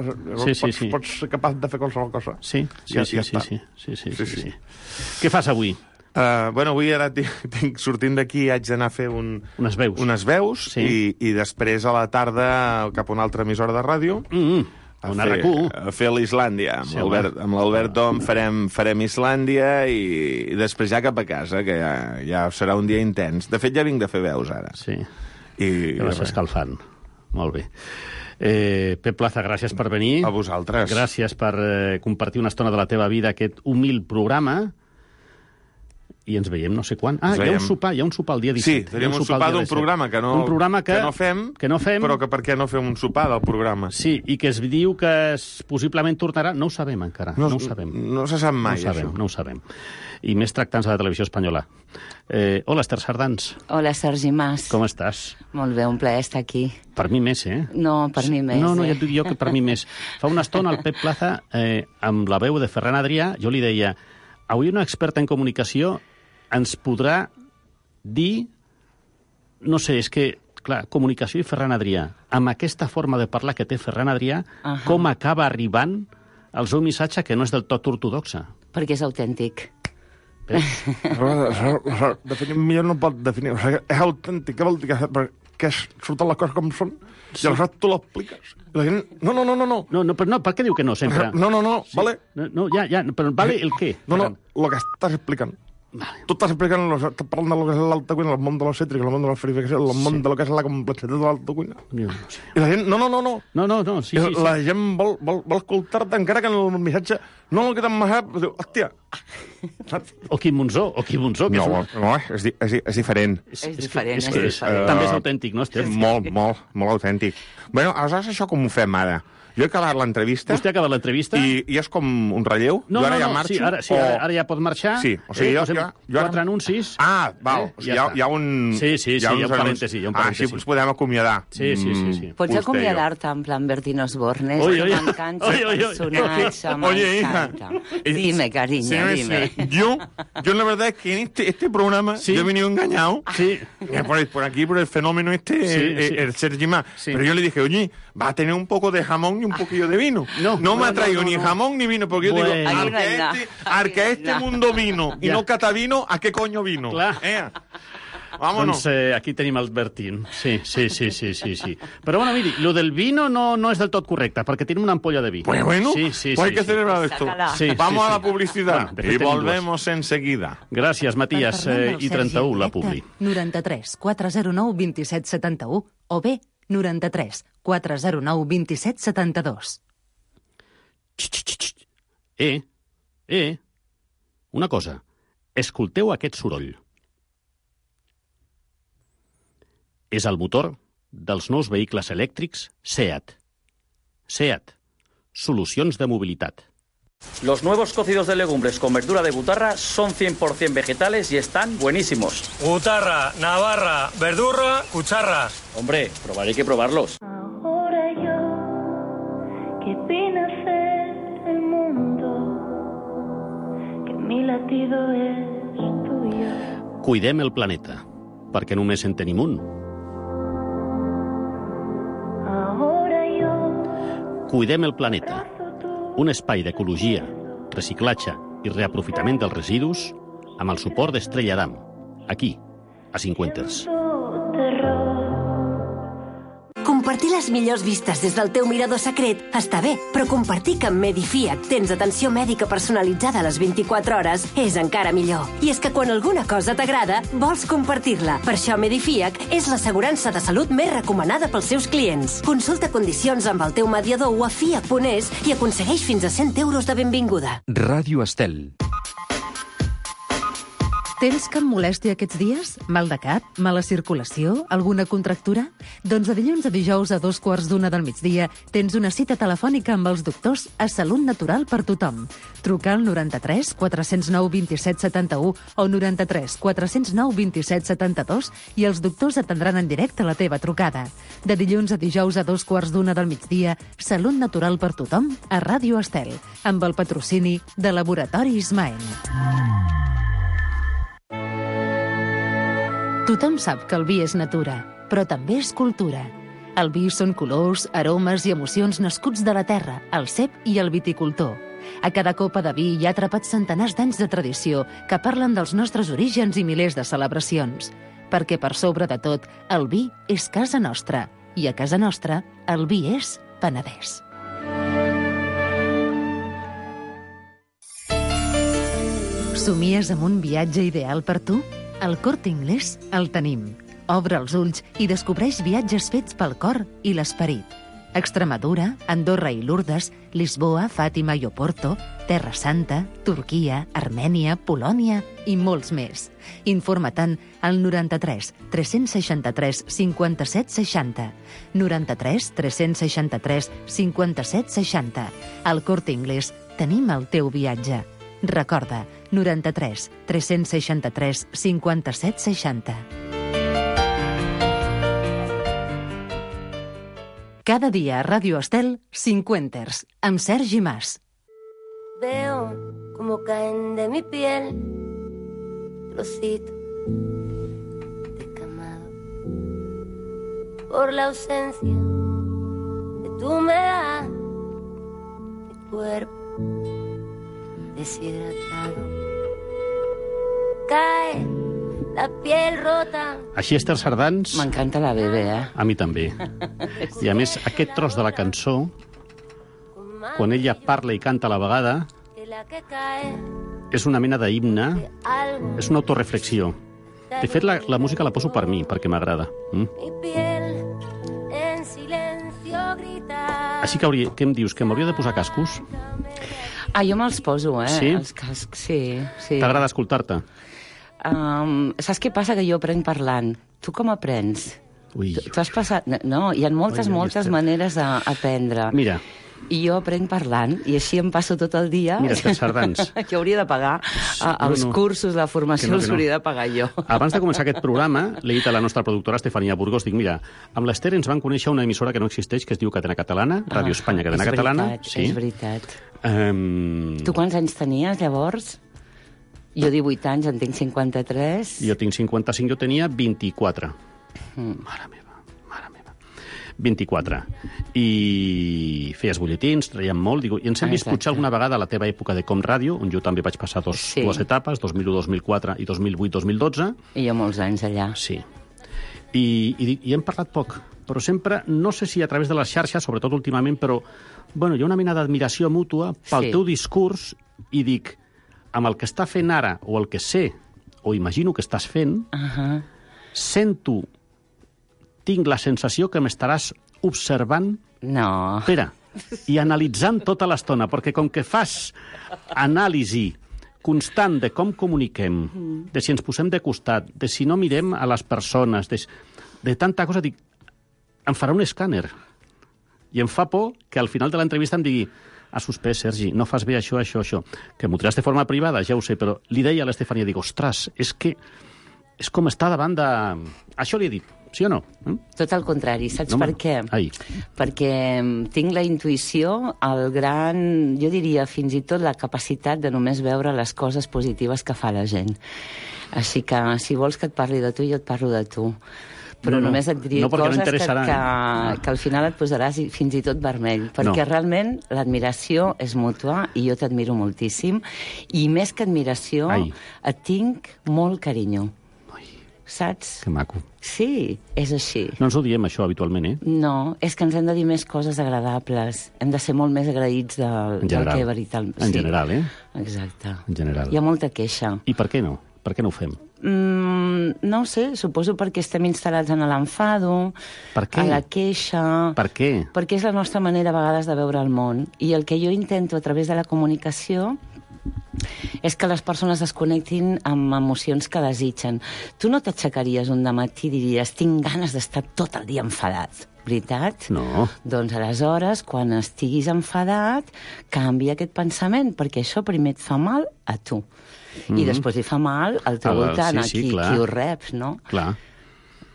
sí, sí, pots, sí. pots ser capaç de fer qualsevol cosa. Sí, sí, ja, sí, ja sí, sí, sí, sí, sí, sí, sí. Què fas avui? Uh, bueno, avui ara tinc, tinc, sortint d'aquí haig d'anar a fer un, unes veus, unes veus sí. i, i després a la tarda cap a una altra emissora de ràdio. Mm-hmm. A fer, a fer l'Islàndia. Amb sí, l'Albert Dom farem, farem Islàndia i, i després ja cap a casa, que ja, ja serà un dia intens. De fet, ja vinc de fer veus, ara. Sí, I, que vas escalfant. Molt bé. Eh, Pep Plaza, gràcies per venir. A vosaltres. Gràcies per eh, compartir una estona de la teva vida, aquest humil programa. i ens veiem no sé quan. Ah, Ens hi ha un veiem. sopar, hi ha un sopar el dia disset. Sí, tenim un sopar d'un programa que no, un programa que, que no fem, que no fem, però que per què no fem un sopar del programa? Sí, i que es diu que es, possiblement tornarà... No ho sabem encara, no, No, no ho sabem. no se sap mai, no ho sabem, això. No ho sabem. I més tractant-se de la televisió espanyola. Eh, hola, Esther Sardans. Hola, Sergi Mas. Com estàs? Molt bé, un plaer estar aquí. Per mi més, eh? No, per mi més. No, no, eh? ja et dic jo que per mi més. Fa una estona el Pep Plaza, eh, amb la veu de Ferran Adrià, jo li deia, avui una experta en comunicació ens podrà dir... No sé, és que, clar, comunicació i Ferran Adrià, amb aquesta forma de parlar que té Ferran Adrià, uh -huh. com acaba arribant el seu missatge que no és del tot ortodoxa? Perquè és autèntic. Definir millor no pot definir. O sigui, és autèntic, què vol dir? Que surten les coses com són i aleshores tu l'expliques. La gent... No, no, no, no, no. No, no, però no, per què diu que no, sempre? No, no, no, Sí. vale. No, no, ja, ja, però vale el què? No, no, el que estàs explicant. Vale. Tu estàs explicant, estàs parlant de lo que és l'alta cuina, el món de l'obsètrica, el món de la verificació, el món Sí. de lo que és la complexitat de l'alta cuina. Jo no sé. I la gent, no, no, no, no. No, no, no, sí, I sí, sí. la gent vol, vol, vol escoltar-te encara que en el missatge no el que t'han massat, diu, hòstia. Saps? O Quim Monzó, o Quim Monzó. Que No, és, un... no, és, di- és, di- és diferent. És diferent, és, és que és, diferent. també és autèntic, no, Esther? Molt, molt, molt autèntic. Bueno, aleshores això com ho fem ara? Jo he acabat l'entrevista... Vostè ha acabat l'entrevista? I, I és com un relleu? No, jo ara no, ja no, marxo? sí, ara, sí, o... ara, ara ja pot marxar. Sí, o sigui, eh, jo, posem jo, jo... quatre anuncis. Ah, val, Eh, o sigui, ja hi, ha, està. hi ha un... Sí, sí, sí, hi ha uns un anuncis. parèntesi, hi ha un parèntesi. Ah, així ens podem acomiadar. Sí, sí, sí, sí. Mm, Pots vostè i jo. acomiadar-te en plan Bertín Osborne, Oi, que oi, m'encanta oi, el oi, oi. personatge, Oye, hija. m'encanta. Dime, cariño, Sí, dime. sí. Yo, yo la verdad es que en este, este programa Sí. yo he venido engañado. Sí. Eh, Por, por aquí, por el fenómeno este, Sí, el, sí. el Sergi Mas. Sí. Pero yo le dije, oye, va a tener un poco de jamón y un poquillo de vino. No, no me no, ha traído no, no, ni no. jamón ni vino, porque yo Bueno. digo, Aquí al no hay que nada. este, Aquí al que no hay este nada. mundo vino y Ya. no cata vino, ¿a qué coño vino? Clar. Eh? Vámonos. Doncs eh, aquí tenim el Bertín. Sí, sí, sí, sí, sí, sí. Però bueno, miri, lo del vino no, no és del tot correcte, perquè tenim una ampolla de vi. Pues bueno, sí, sí, pues hay sí, que sí. celebrar esto. Sácala. Sí, Vamos sí, a la sí. publicidad Bueno, de fet y tenim volvemos enseguida. Gràcies, Matías. Eh, I trenta-u, la publi. noranta-tres quatre zero nou dos set set u o bé noranta-tres quatre zero nou dos set set dos. Eh, eh, una cosa. Escolteu aquest soroll. És el motor dels nous vehicles elèctrics SEAT. SEAT. Solucions de mobilitat. Los nuevos cocidos de legumbres con verdura de butarra son cien por ciento vegetales y están buenísimos. Butarra, navarra, verdurra, cucharras. Hombre, probar hay que probarlos. Ahora yo, que vine a hacer el mundo, que mi latido es tuyo. Cuidem el planeta, perquè només en tenim un. Ahora yo, Cuidem el planeta. Un espai d'ecologia, reciclatge i reaprofitament dels residus amb el suport d'Estrella Damm, aquí, a Cinquenters. terror. Compartir les millors vistes des del teu mirador secret està bé, però compartir que amb Medifiac tens atenció mèdica personalitzada a les vint-i-quatre hores és encara millor. I és que quan alguna cosa t'agrada, vols compartir-la. Per això Medifiac és l'assegurança de salut més recomanada pels seus clients. Consulta condicions amb el teu mediador o a fiac punt es i aconsegueix fins a cent euros de benvinguda. Ràdio Estel. Tens cap molèstia aquests dies? Mal de cap? Mala circulació? Alguna contractura? Doncs de dilluns a dijous a dos quarts d'una del migdia tens una cita telefònica amb els doctors a Salut Natural per tothom. Truca al noranta-tres quatre zero nou dos set set u o noranta-tres quatre zero nou dos set set dos i els doctors atendran en directe la teva trucada. De dilluns a dijous a dos quarts d'una del migdia, Salut Natural per tothom a Ràdio Estel, amb el patrocini de Laboratori Ismael. Tothom sap que el vi és natura, però també és cultura. El vi són colors, aromes i emocions nascuts de la terra, el cep i el viticultor. A cada copa de vi hi ha atrapats centenars d'anys de tradició que parlen dels nostres orígens i milers de celebracions. Perquè per sobre de tot, el vi és casa nostra. I a casa nostra, el vi és Penedès. Somies amb un viatge ideal per tu? Al Corte Inglés el tenim. Obre els ulls i descobreix viatges fets pel cor i l'esperit. Extremadura, Andorra i Lourdes, Lisboa, Fàtima i Oporto, Terra Santa, Turquia, Armènia, Polònia i molts més. Informa-te'n al noranta-tres tres seixanta-tres cinquanta-set seixanta. noranta-tres tres seixanta-tres cinquanta-set seixanta. Al Corte Inglés tenim el teu viatge. Recorda, noranta-tres tres seixanta-tres cinquanta-set seixanta. Cada dia a Ràdio Estel, Cinquenters, amb Sergi Mas. Veo como caen de mi piel trocitos descamados por la ausencia de tu humedad, mi cuerpo deshidratado cae la piel rota. Així, Esther Sardans... M'encanta la bebè, eh? A mi també. I a més, aquest tros de la cançó, quan ella parla i canta a la vegada, és una mena d'himne, és una autoreflexió. De fet, la, la música la poso per mi, perquè m'agrada. Mm? Així que, hauria, què em dius, que m'hauria de posar cascos? Ah, jo me'ls poso, eh? Sí? Els cascs, sí. sí. T'agrada escoltar-te? Um, saps què passa? Que jo aprenc parlant. Tu com aprens? Ui. Tu, tu has passat... No, hi ha moltes, Ui, moltes Esther. maneres d'aprendre. Mira. I jo aprenc parlant, i així em passo tot el dia... Mira, Esther Sardans. Que hauria de pagar uh, els no, no. cursos, la formació, Que no, els que no. hauria de pagar jo. Abans de començar aquest programa, l'he dit a la nostra productora Estefania Burgos, dic, mira, amb l'Esther ens van conèixer una emissora que no existeix, que es diu Cadena Catalana, Ràdio Espanya, Cadena és Catalana. Veritat, Sí. És veritat. Um... Tu quants anys tenies, llavors? Jo divuit anys, en tinc cinquanta-tres. Jo tinc cinquanta-cinc, jo tenia vint-i-quatre. Mm. Mare meva, mare meva. vint-i-quatre. I feies butlletins, traiem molt. Digo, I ens hem vist Exacte. potser alguna vegada a la teva època de Com Ràdio, on jo també vaig passar dos, Sí. dues etapes, dos mil u dos mil quatre i dos mil vuit dos mil dotze. I jo molts anys allà. Sí. I, i, i hem parlat poc, però sempre, no sé si a través de les xarxes, sobretot últimament, però bueno, hi ha una mena d'admiració mútua pel Sí. teu discurs i dic, amb el que està fent ara, o el que sé, o imagino que estàs fent, Uh -huh. sento, tinc la sensació que m'estaràs observant, No. espera, i analitzant tota l'estona, perquè com que fas anàlisi constant de com comuniquem, de si ens posem de costat, de si no mirem a les persones, de, de tanta cosa, dic, em farà un escàner. I em fa por que al final de l'entrevista em digui ha suspès, Sergi, no fas bé això, això, això. Que m'ho diràs de forma privada, ja ho sé, però li deia a l'Estefania, dic, ostres, és que és com estar davant de... Això li he dit, sí o no? Eh? Tot el contrari, saps No, per home, què? ai. Perquè mm, tinc la intuïció, el gran, jo diria fins i tot la capacitat de només veure les coses positives que fa la gent. Així que si vols que et parli de tu, jo et parlo de tu. Però No, no, només et diré no, perquè no coses que, interessarà. que, que al final et posaràs i- fins i tot vermell, perquè No. realment l'admiració és mútua i jo t'admiro moltíssim, i més que admiració, Ai. et tinc molt carinyo. Saps? Que maco. Sí, és així. No ens ho diem, això, habitualment, eh? No, és que ens hem de dir més coses agradables. Hem de ser molt més agraïts del, En general. del que veritablement... En general, eh? Exacte. En general. Hi ha molta queixa. I per què no? Per què no ho fem? Mm, no ho sé, suposo perquè estem instal·lats en l'enfado, Per què? a la queixa... Per què? Perquè és la nostra manera a vegades de veure el món. I el que jo intento a través de la comunicació és que les persones es connectin amb emocions que desitgen. Tu no t'aixecaries un dematí i diries tinc ganes d'estar tot el dia enfadat, veritat? No. Doncs aleshores, quan estiguis enfadat, canvia aquest pensament, perquè això primer et fa mal a tu. I Mhm. després li fa mal al teu Al- voltant, sí, sí, a qui, clar. qui ho reps, no? Clar.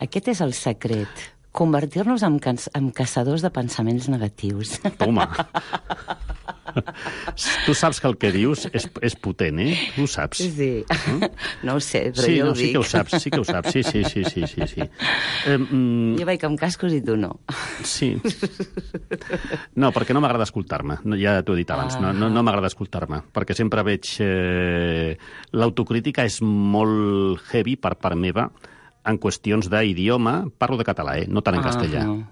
Aquest és el secret. Convertir-nos en, cas en caçadors de pensaments negatius. Toma. Tu saps que el que dius és, és potent, eh? Tu ho saps. Sí. No ho sé, però sí, jo no, ho sí dic. que ho saps, sí que ho saps. Sí, sí, sí, sí, sí, sí. Eh, mm, Jo vaig amb cascos i tu no. sí. No, perquè no m'agrada escoltar-me. No, ja t'ho he dit abans, no, no, no m'agrada escoltar-me. Perquè sempre veig... Eh, l'autocrítica és molt heavy per part meva en qüestions d'idioma. Parlo de català, eh? No tant en Ah, castellà. no.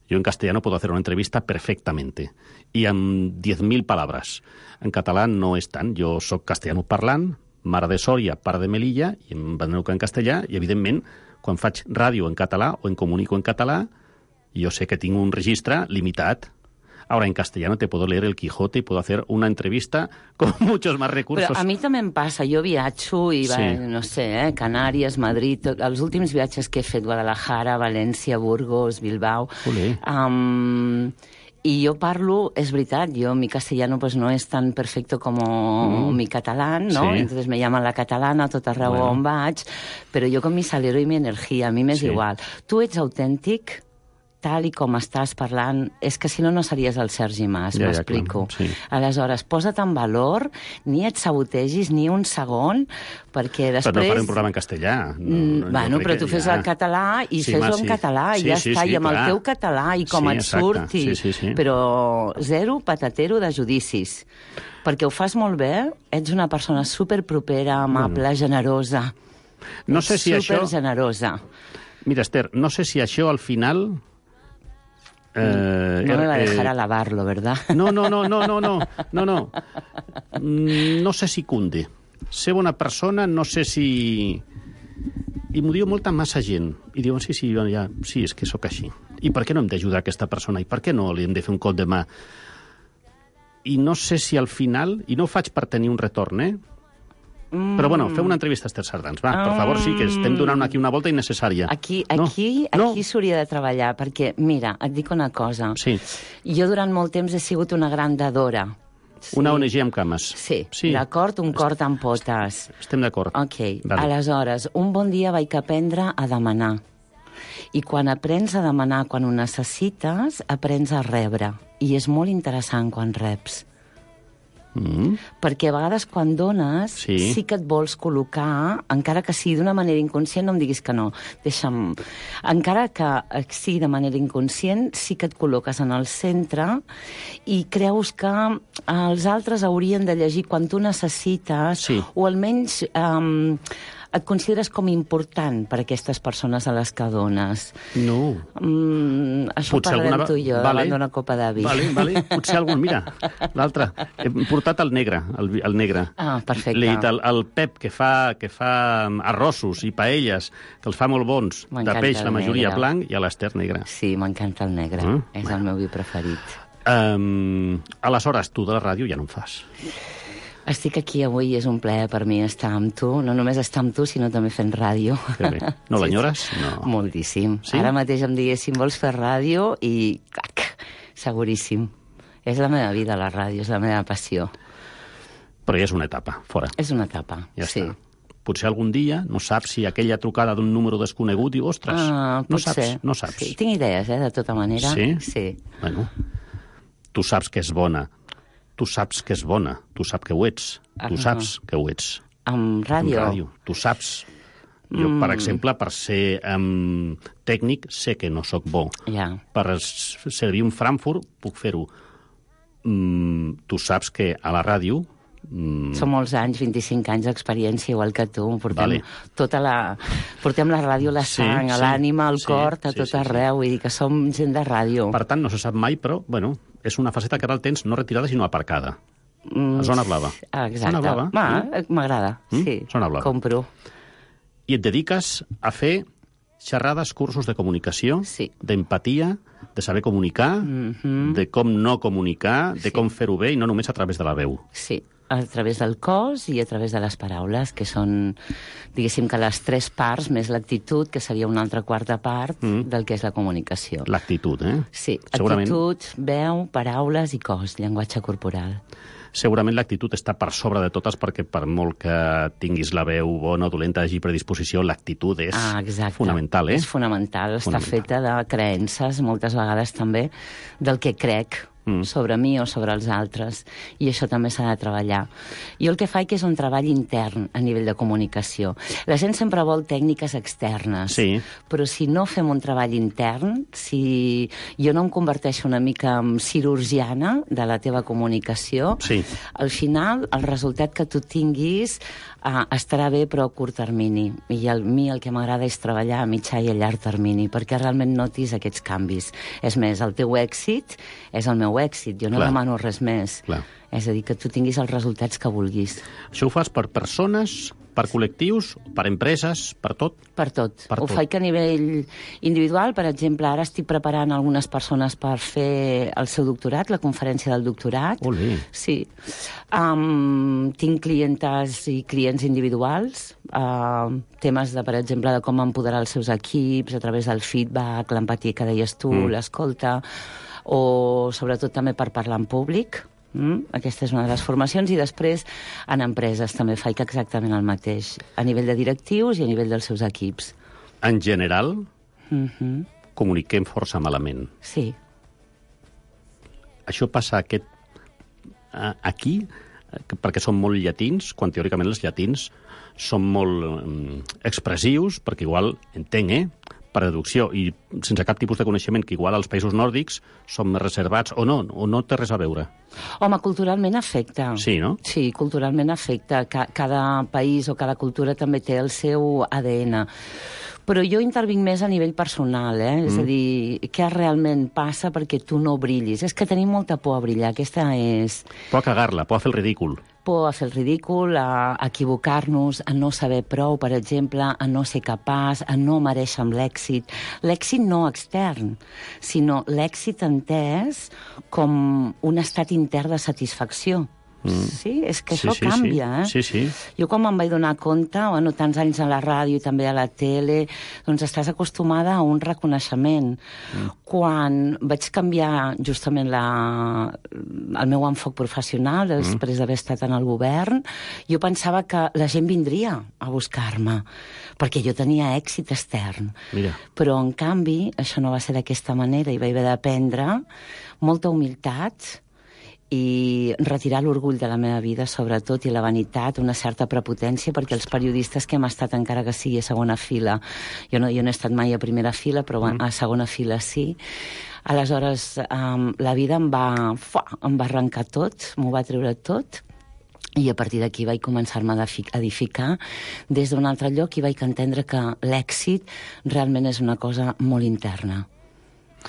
Yo en castellano puedo hacer una entrevista perfectamente y en diez mil palabras. En català no és tant. Jo sóc castellano parlant, mare de Sòria, pare de Melilla, i em veneuca en castellà, i evidentment, quan faig ràdio en català o en comunico en català, jo sé que tinc un registre limitat. Ahora, en castellano te puedo leer El Quijote y puedo hacer una entrevista con muchos más recursos. Però a mi també em passa. Jo viatjo i, va, Sí. no sé, eh, Canàries, Madrid... tot- Els últims viatges que he fet, Guadalajara, València, Burgos, Bilbao... Olé. Um, y yo parlo, es verdad, yo mi castellano pues no es tan perfecto como Mm. mi catalán, ¿no? Sí. Entonces me llaman la catalana, tot arreu Bueno. on vaig, pero yo con mi salero y mi energia, a mi m'és Sí. igual. Tu ets autèntic, tal i com estàs parlant, és que si no, no series el Sergi Mas, Ja, ja, m'explico. clar, sí. Aleshores, posa't en valor, ni et sabotegis ni un segon, perquè després... Però no faré un programa en castellà. No, Mm, no, jo bueno, crec però que tu fes ja- el català i Sí, fes-ho home, en sí. català i Sí, ja sí, està, sí, i amb clar. el teu català i com Sí, et exacte. surti. Sí, sí, sí. Però zero patatero de judicis. Perquè ho fas molt bé, ets una persona superpropera, amable, Bueno. generosa. No sé si això... Supergenerosa. Mira, Esther, no sé si això al final... Eh, No me va a eh, dejar alabarlo, ¿verdad? No, no, no, no, no, no, no, no. Mm, No sé si cunde. Ser bona persona, no sé si... I m'ho diu molta massa gent. I diuen, sí, sí, jo ja, sí, és que sóc així. I per què no hem d'ajudar aquesta persona? I per què no li hem de fer un cop de mà? I no sé si al final... I no ho faig per tenir un retorn, eh? Mm. Però, bueno, fem una entrevista a Esther Sardans. Va, per favor, sí, que estem donant aquí una volta innecessària. Aquí, No? aquí, No? aquí s'hauria de treballar, perquè, mira, et dic una cosa. Sí. Jo durant molt temps he sigut una gran dadora. Una O N G amb cames. Sí, Sí. d'acord? Un cor amb potes. Estem d'acord. Ok, Vale. aleshores, un bon dia vaig aprendre a demanar. I quan aprens a demanar quan ho necessites, aprens a rebre. I és molt interessant quan reps. Mm. Perquè a vegades quan dones Sí. sí que et vols col·locar, encara que sigui d'una manera inconscient, no em diguis que no, deixa'm... Encara que sigui de manera inconscient, sí que et col·loques en el centre i creus que els altres haurien de llegir quan tu necessites, Sí. o almenys um, et consideres com important per a aquestes persones a les que dones. No. Mm, això Potser parlarem alguna- tu i jo, Vale. davant d'una copa de vi. Vale, vale. Potser algun, mira, l'altre. Hem portat el negre, el, vi- el negre. Ah, perfecte. Li he dit el, el Pep, que fa, que fa um, arrossos i paelles, que els fa molt bons, de M'encanta peix, el la majoria negre. blanc, i a l'Ester negre. Sí, m'encanta el negre. Mm, És el meu vi preferit. Um, aleshores, tu de la ràdio ja no en fas. Estic aquí avui i és un plaer per mi estar amb tu. No només estar amb tu, sinó també fent ràdio. Que bé. No Sí, l'enyores? sí. No. Moltíssim. Sí? Ara mateix em diguessin, vols fer ràdio? I cac, seguríssim. És la meva vida, la ràdio, és la meva passió. Però ja és una etapa, fora. És una etapa, Ja sí. està. Potser algun dia no saps si aquella trucada d'un número desconegut diu, ostres, Ah, no potser. saps, no saps. Sí, tinc idees, eh, de tota manera. Sí? Sí. Bueno, tu saps que és bona. Tu saps que és bona. Tu saps que ho ets. Tu Ah. saps que ho ets. Amb ràdio? Amb ràdio. Tu saps. Jo, Mm. per exemple, per ser um, tècnic, sé que no sóc bo. Ja. Per s- servir un Frankfurt, puc fer-ho. Mm, tu saps que a la ràdio... Mm, Són molts anys, vint-i-cinc anys d'experiència, igual que tu. Portem, Vale. tota la, portem la ràdio a la Sí, sang, a sí, l'ànima, al sí, cor, a sí, tot sí, sí. arreu. Vull dir que som gent de ràdio. Per tant, no se sap mai, però, bueno, és una faceta que ara el tens no retirada, sinó aparcada. Mm, A zona blava. Ah, exacte. Zona blava. Va, Mm. m'agrada, Mm? sí. Zona blava. Compro. I et dediques a fer xerrades, cursos de comunicació, sí. d'empatia, de saber comunicar, Mhm. de com no comunicar, de Sí. com fer-ho bé i no només a través de la veu. Sí, a través del cos i a través de les paraules, que són, diguéssim que les tres parts, més l'actitud, que seria una altra quarta part Mm. del que és la comunicació. L'actitud, eh? Sí, Segurament, actitud, veu, paraules i cos, llenguatge corporal. segurament l'actitud està per sobre de totes perquè per molt que tinguis la veu bona o dolenta, hagi predisposició, l'actitud és Ah, exacte. fonamental, eh? És fonamental, està Fonamental. feta de creences, moltes vegades també, del que crec Mm. sobre mi o sobre els altres, i això també s'ha de treballar. Jo el que faig és un treball intern a nivell de comunicació. La gent sempre vol tècniques externes, Sí. però si no fem un treball intern, si jo no em converteixo una mica en cirurgiana de la teva comunicació, Sí. al final el resultat que tu tinguis uh, estarà bé però a curt termini, i a mi el que m'agrada és treballar a mitjà i a llarg termini perquè realment notis aquests canvis. És més, el teu èxit és el meu èxit, jo no Clar. demano res més. Clar. És a dir, que tu tinguis els resultats que vulguis. Això ho fas per persones Per col·lectius, per empreses, per tot? Per tot. Per Ho tot. faig a nivell individual. Per exemple, ara estic preparant algunes persones per fer el seu doctorat, la conferència del doctorat. Olé. Sí. Um, tinc clientes i clients individuals, uh, temes, de, per exemple, de com empoderar els seus equips a través del feedback, l'empatia que deies tu, mm. l'escolta, o sobretot també per parlar en públic. Mm? Aquesta és una de les formacions. I després en empreses també faig exactament el mateix, a nivell de directius i a nivell dels seus equips. En general, Mm-hmm. comuniquem força malament. Sí. Això passa aquest, eh, aquí, eh, perquè són molt llatins, quan teòricament els llatins són molt eh, expressius, perquè igual, entenc, eh, per deducció, i sense cap tipus de coneixement, que igual als països nòrdics són més reservats, o no, o no té res a veure. Home, culturalment afecta. Sí, no? Sí, culturalment afecta. Ca cada país o cada cultura també té el seu A D N. Però jo intervinc més a nivell personal, eh? Mm. És a dir, què realment passa perquè tu no brillis. És que tenim molta por a brillar, aquesta és... Por a cagar-la, por a fer el ridícul. Por a fer el ridícul, a equivocar-nos, a no saber prou, per exemple, a no ser capaç, a no mereixer amb l'èxit. L'èxit no extern, sinó l'èxit entès com un estat intern de satisfacció. Mm. Sí, és que Sí, això sí, canvia, sí. eh? Sí, sí. Jo quan me'n vaig donar compte, bueno, tants anys a la ràdio i també a la tele, doncs estàs acostumada a un reconeixement. Mm. Quan vaig canviar justament la, el meu enfoc professional, després mm. d'haver estat en el govern, jo pensava que la gent vindria a buscar-me, perquè jo tenia èxit extern. Mira. Però, en canvi, això no va ser d'aquesta manera i vaig haver d'aprendre molta humilitat i retirar l'orgull de la meva vida, sobretot, i la vanitat, una certa prepotència, perquè els periodistes que hem estat, encara que sigui a segona fila, jo no, jo no he estat mai a primera fila, però mm. a segona fila sí, aleshores um, la vida em va, fuà, em va arrencar tot, m'ho va treure tot, i a partir d'aquí vaig començar-me a edificar des d'un altre lloc i vaig entendre que l'èxit realment és una cosa molt interna.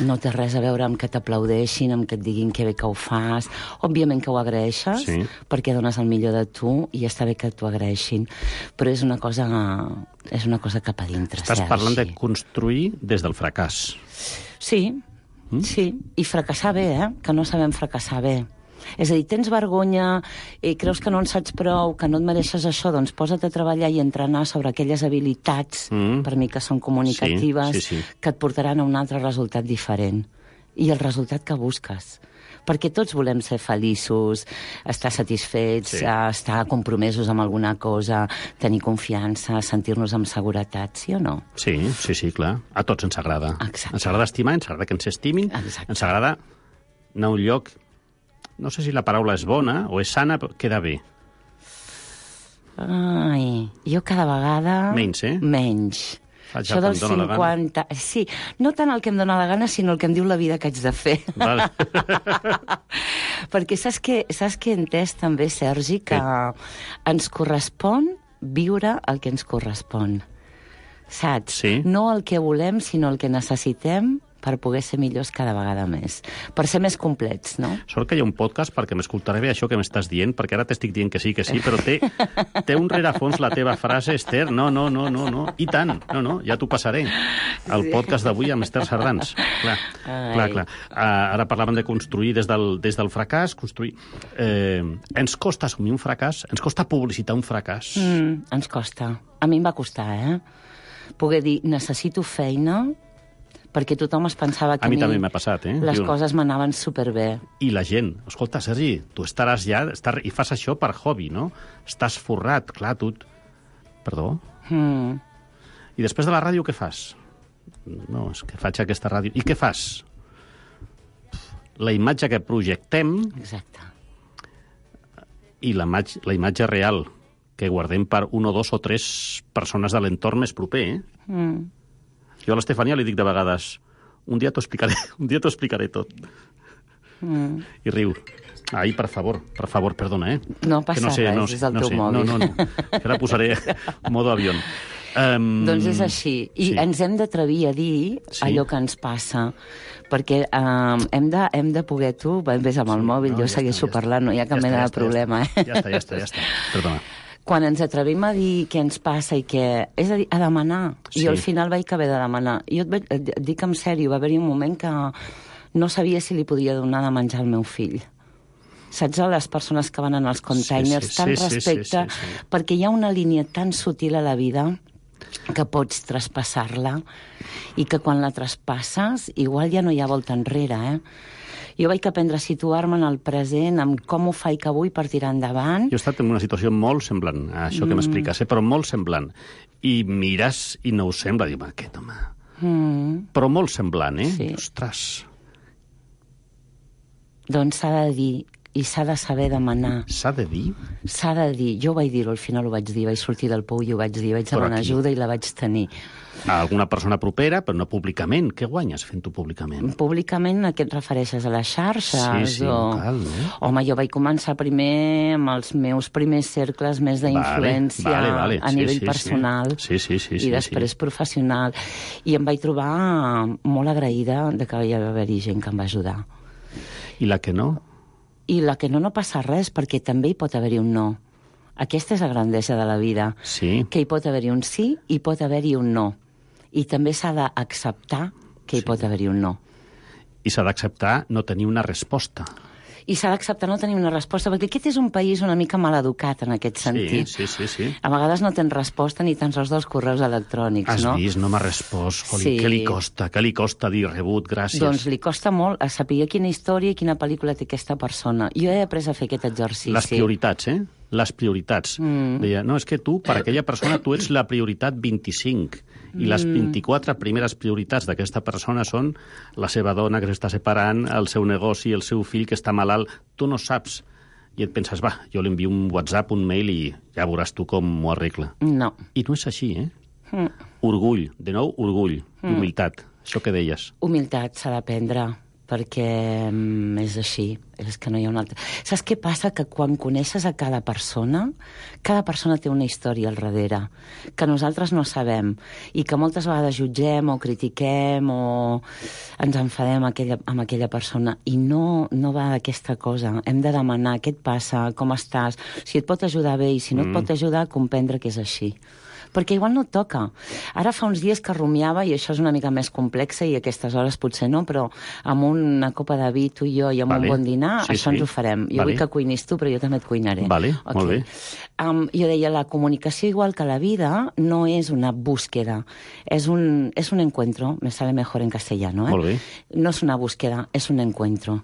No té res a veure amb que t'aplaudeixin, amb que et diguin que bé que ho fas. Òbviament que ho agraeixes, Sí. perquè dones el millor de tu i està bé que t'ho agraeixin. Però és una cosa, és una cosa cap a dintre, Estàs Sergi. parlant de construir des del fracàs. Sí, mm? sí. I fracassar bé, eh? Que no sabem fracassar bé. És a dir, tens vergonya, i creus que no en saps prou, que no et mereixes això, doncs posa't a treballar i entrenar sobre aquelles habilitats, mm. per mi que són comunicatives, Sí, sí, sí. que et portaran a un altre resultat diferent. I el resultat que busques. Perquè tots volem ser feliços, estar satisfets, Sí. estar compromesos amb alguna cosa, tenir confiança, sentir-nos amb seguretat, sí o no? Sí, sí, sí, clar. A tots ens agrada. Exacte. Ens agrada estimar, ens agrada que ens estimin, Exacte. ens agrada anar a un lloc... No sé si la paraula és bona o és sana, però queda bé. Ai, jo cada vegada... Menys, eh? Menys. Faig Això el que dels em dóna la gana. cinquanta... Sí, no tant el que em dóna la gana, sinó el que em diu la vida que haig de fer. Vale. Perquè saps que, saps que he entès també, Sergi, que ens correspon viure el que ens correspon. Saps? Sí. No el que volem, sinó el que necessitem per poder ser millors cada vegada més. Per ser més complets, no? Sort que hi ha un podcast perquè m'escoltaré bé això que m'estàs dient, perquè ara t'estic dient que sí, que sí, però té, té un rerefons la teva frase, Esther. No, no, no, no, no. I tant. No, no, ja t'ho passaré. El podcast d'avui amb Esther Sardans. Clar, Ai. clar, clar. Uh, ara parlàvem de construir des del, des del fracàs, construir... Eh, ens costa assumir un fracàs? Ens costa publicitar un fracàs? Mm, ens costa. A mi em va costar, eh? Poder dir, necessito feina, perquè tothom es pensava que A mi també m'ha passat, eh? les Diu- coses m'anaven superbé. I la gent, escolta, Sergi, tu estaràs ja... Estar, i fas això per hobby, no? Estàs forrat, clar, tu... Perdó? Mm. I després de la ràdio, què fas? No, és que faig aquesta ràdio... I què fas? La imatge que projectem... Exacte. I la, imatge, la imatge real que guardem per un o dos o tres persones de l'entorn més proper, eh? Mm. Jo a l'Estefania li dic de vegades, un dia t'ho explicaré, un dia t'ho explicaré tot. Mm. I riu. Ai, per favor, per favor, perdona, eh? No passa que no sé, res, no, és el no teu sé, mòbil. No, no, no. Que ara posaré modo avión. Um, Doncs és així. I sí. ens hem d'atrevir a dir Sí. allò que ens passa. Perquè um, hem, de, hem de poder... Tu ves amb el mòbil, no, jo ja segueixo està, ja parlant, no hi ha cap Ja està, mena ja de està, problema, ja eh? està, ja està, ja està. Perdona. quan ens atrevim a dir què ens passa i què... És a dir, a demanar. Sí. Jo al final vaig haver de demanar. Jo et, vaig, et dic en sèrio, va haver-hi un moment que no sabia si li podia donar de menjar al meu fill. Saps, a les persones que van en els containers, sí, sí, tant sí, respecte, sí, sí, sí. perquè hi ha una línia tan sutil a la vida que pots traspassar-la i que quan la traspasses igual ja no hi ha volta enrere, eh? Jo vaig aprendre a situar-me en el present, amb com ho faig avui per tirar endavant. Jo he estat en una situació molt semblant a això que mm. m'expliques, eh? però molt semblant. I mires i no ho sembla, diu, aquest home... Mm. Però molt semblant, eh? Sí. Ostres. Doncs s'ha de dir... I s'ha de saber demanar. S'ha de dir? S'ha de dir. Jo ho vaig dir-ho, al final ho vaig dir. Vaig sortir del pou i ho vaig dir. Vaig demanar ajuda i la vaig tenir. A alguna persona propera, però no públicament. Què guanyes fent-ho públicament? Públicament a què et refereixes? A les xarxes? Sí, sí, o... cal, no? Home, jo vaig començar primer amb els meus primers cercles més d'influència vale, vale, vale. a sí, nivell sí, personal sí. Sí, sí, sí, i sí, després sí. professional. I em vaig trobar molt agraïda de que hi va haver-hi gent que em va ajudar. I la que no? I la que no, no passa res, perquè també hi pot haver-hi un no. Aquesta és la grandesa de la vida. Sí. Que hi pot haver-hi un sí i pot haver-hi un no. I també s'ha d'acceptar que hi sí. pot haver-hi un no. I s'ha d'acceptar no tenir una resposta. I s'ha d'acceptar no tenir una resposta, perquè aquest és un país una mica mal educat en aquest sentit. Sí, sí, sí, sí. A vegades no tens resposta ni tan sols dels correus electrònics, Has no? Has vist, no m'ha respost. Joli, sí. Què li costa? Què li costa dir rebut? Gràcies. Doncs li costa molt a saber quina història i quina pel·lícula té aquesta persona. Jo he après a fer aquest exercici. Les prioritats, eh? Les prioritats. Mm. Deia, no, és que tu, per aquella persona, tu ets la prioritat vint-i-cinc. I les vint-i-quatre primeres prioritats d'aquesta persona són la seva dona que s'està separant, el seu negoci, el seu fill que està malalt. Tu no saps. I et penses, va, jo li envio un WhatsApp, un mail i ja veuràs tu com m'ho arregla. No. I no és així, eh? Mm. Orgull, de nou, orgull, mm. humilitat. Això que deies. Humilitat s'ha d'aprendre, perquè mm, és així, és que no hi ha una altra... Saps què passa? Que quan coneixes a cada persona, cada persona té una història al darrere, que nosaltres no sabem, i que moltes vegades jutgem o critiquem o ens enfadem amb aquella, amb aquella persona, i no, no va d'aquesta cosa. Hem de demanar què et passa, com estàs, si et pot ajudar bé, i si no mm. et pot ajudar, comprendre que és així. Perquè igual no et toca. Ara fa uns dies que rumiava, i això és una mica més complexa, i a aquestes hores potser no, però amb una copa de vi, tu i jo, i amb vale. un bon dinar, sí, això sí. ens ho farem. Jo vale. vull que cuinis tu, però jo també et cuinaré. Vale, okay. molt bé. Um, jo deia, la comunicació, igual que la vida, no és una búsqueda, és un, és un encuentro, me sale mejor en castellano, eh? Molt bé. No és una búsqueda, és un encuentro.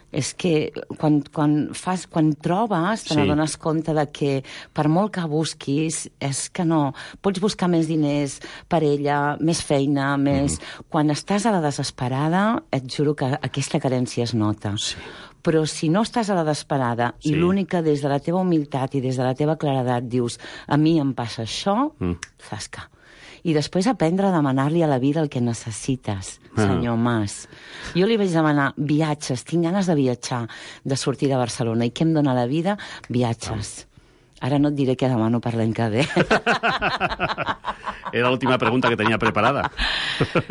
És que quan, quan, fas, quan trobes te sí. n'adones compte de que per molt que busquis és que no, pots buscar més diners per ella, més feina, més... Mm. Quan estàs a la desesperada et juro que aquesta carència es nota. Sí. Però si no estàs a la desesperada sí. i l'únic que des de la teva humilitat i des de la teva claredat dius a mi em passa això, mm. zasca. I després aprendre a demanar-li a la vida el que necessites, senyor ah. Mas. Jo li vaig demanar viatges, tinc ganes de viatjar, de sortir de Barcelona, i què em dona la vida? Viatges. Ah. Ara no et diré què demano per l'any que ve. Era l'última pregunta que tenia preparada.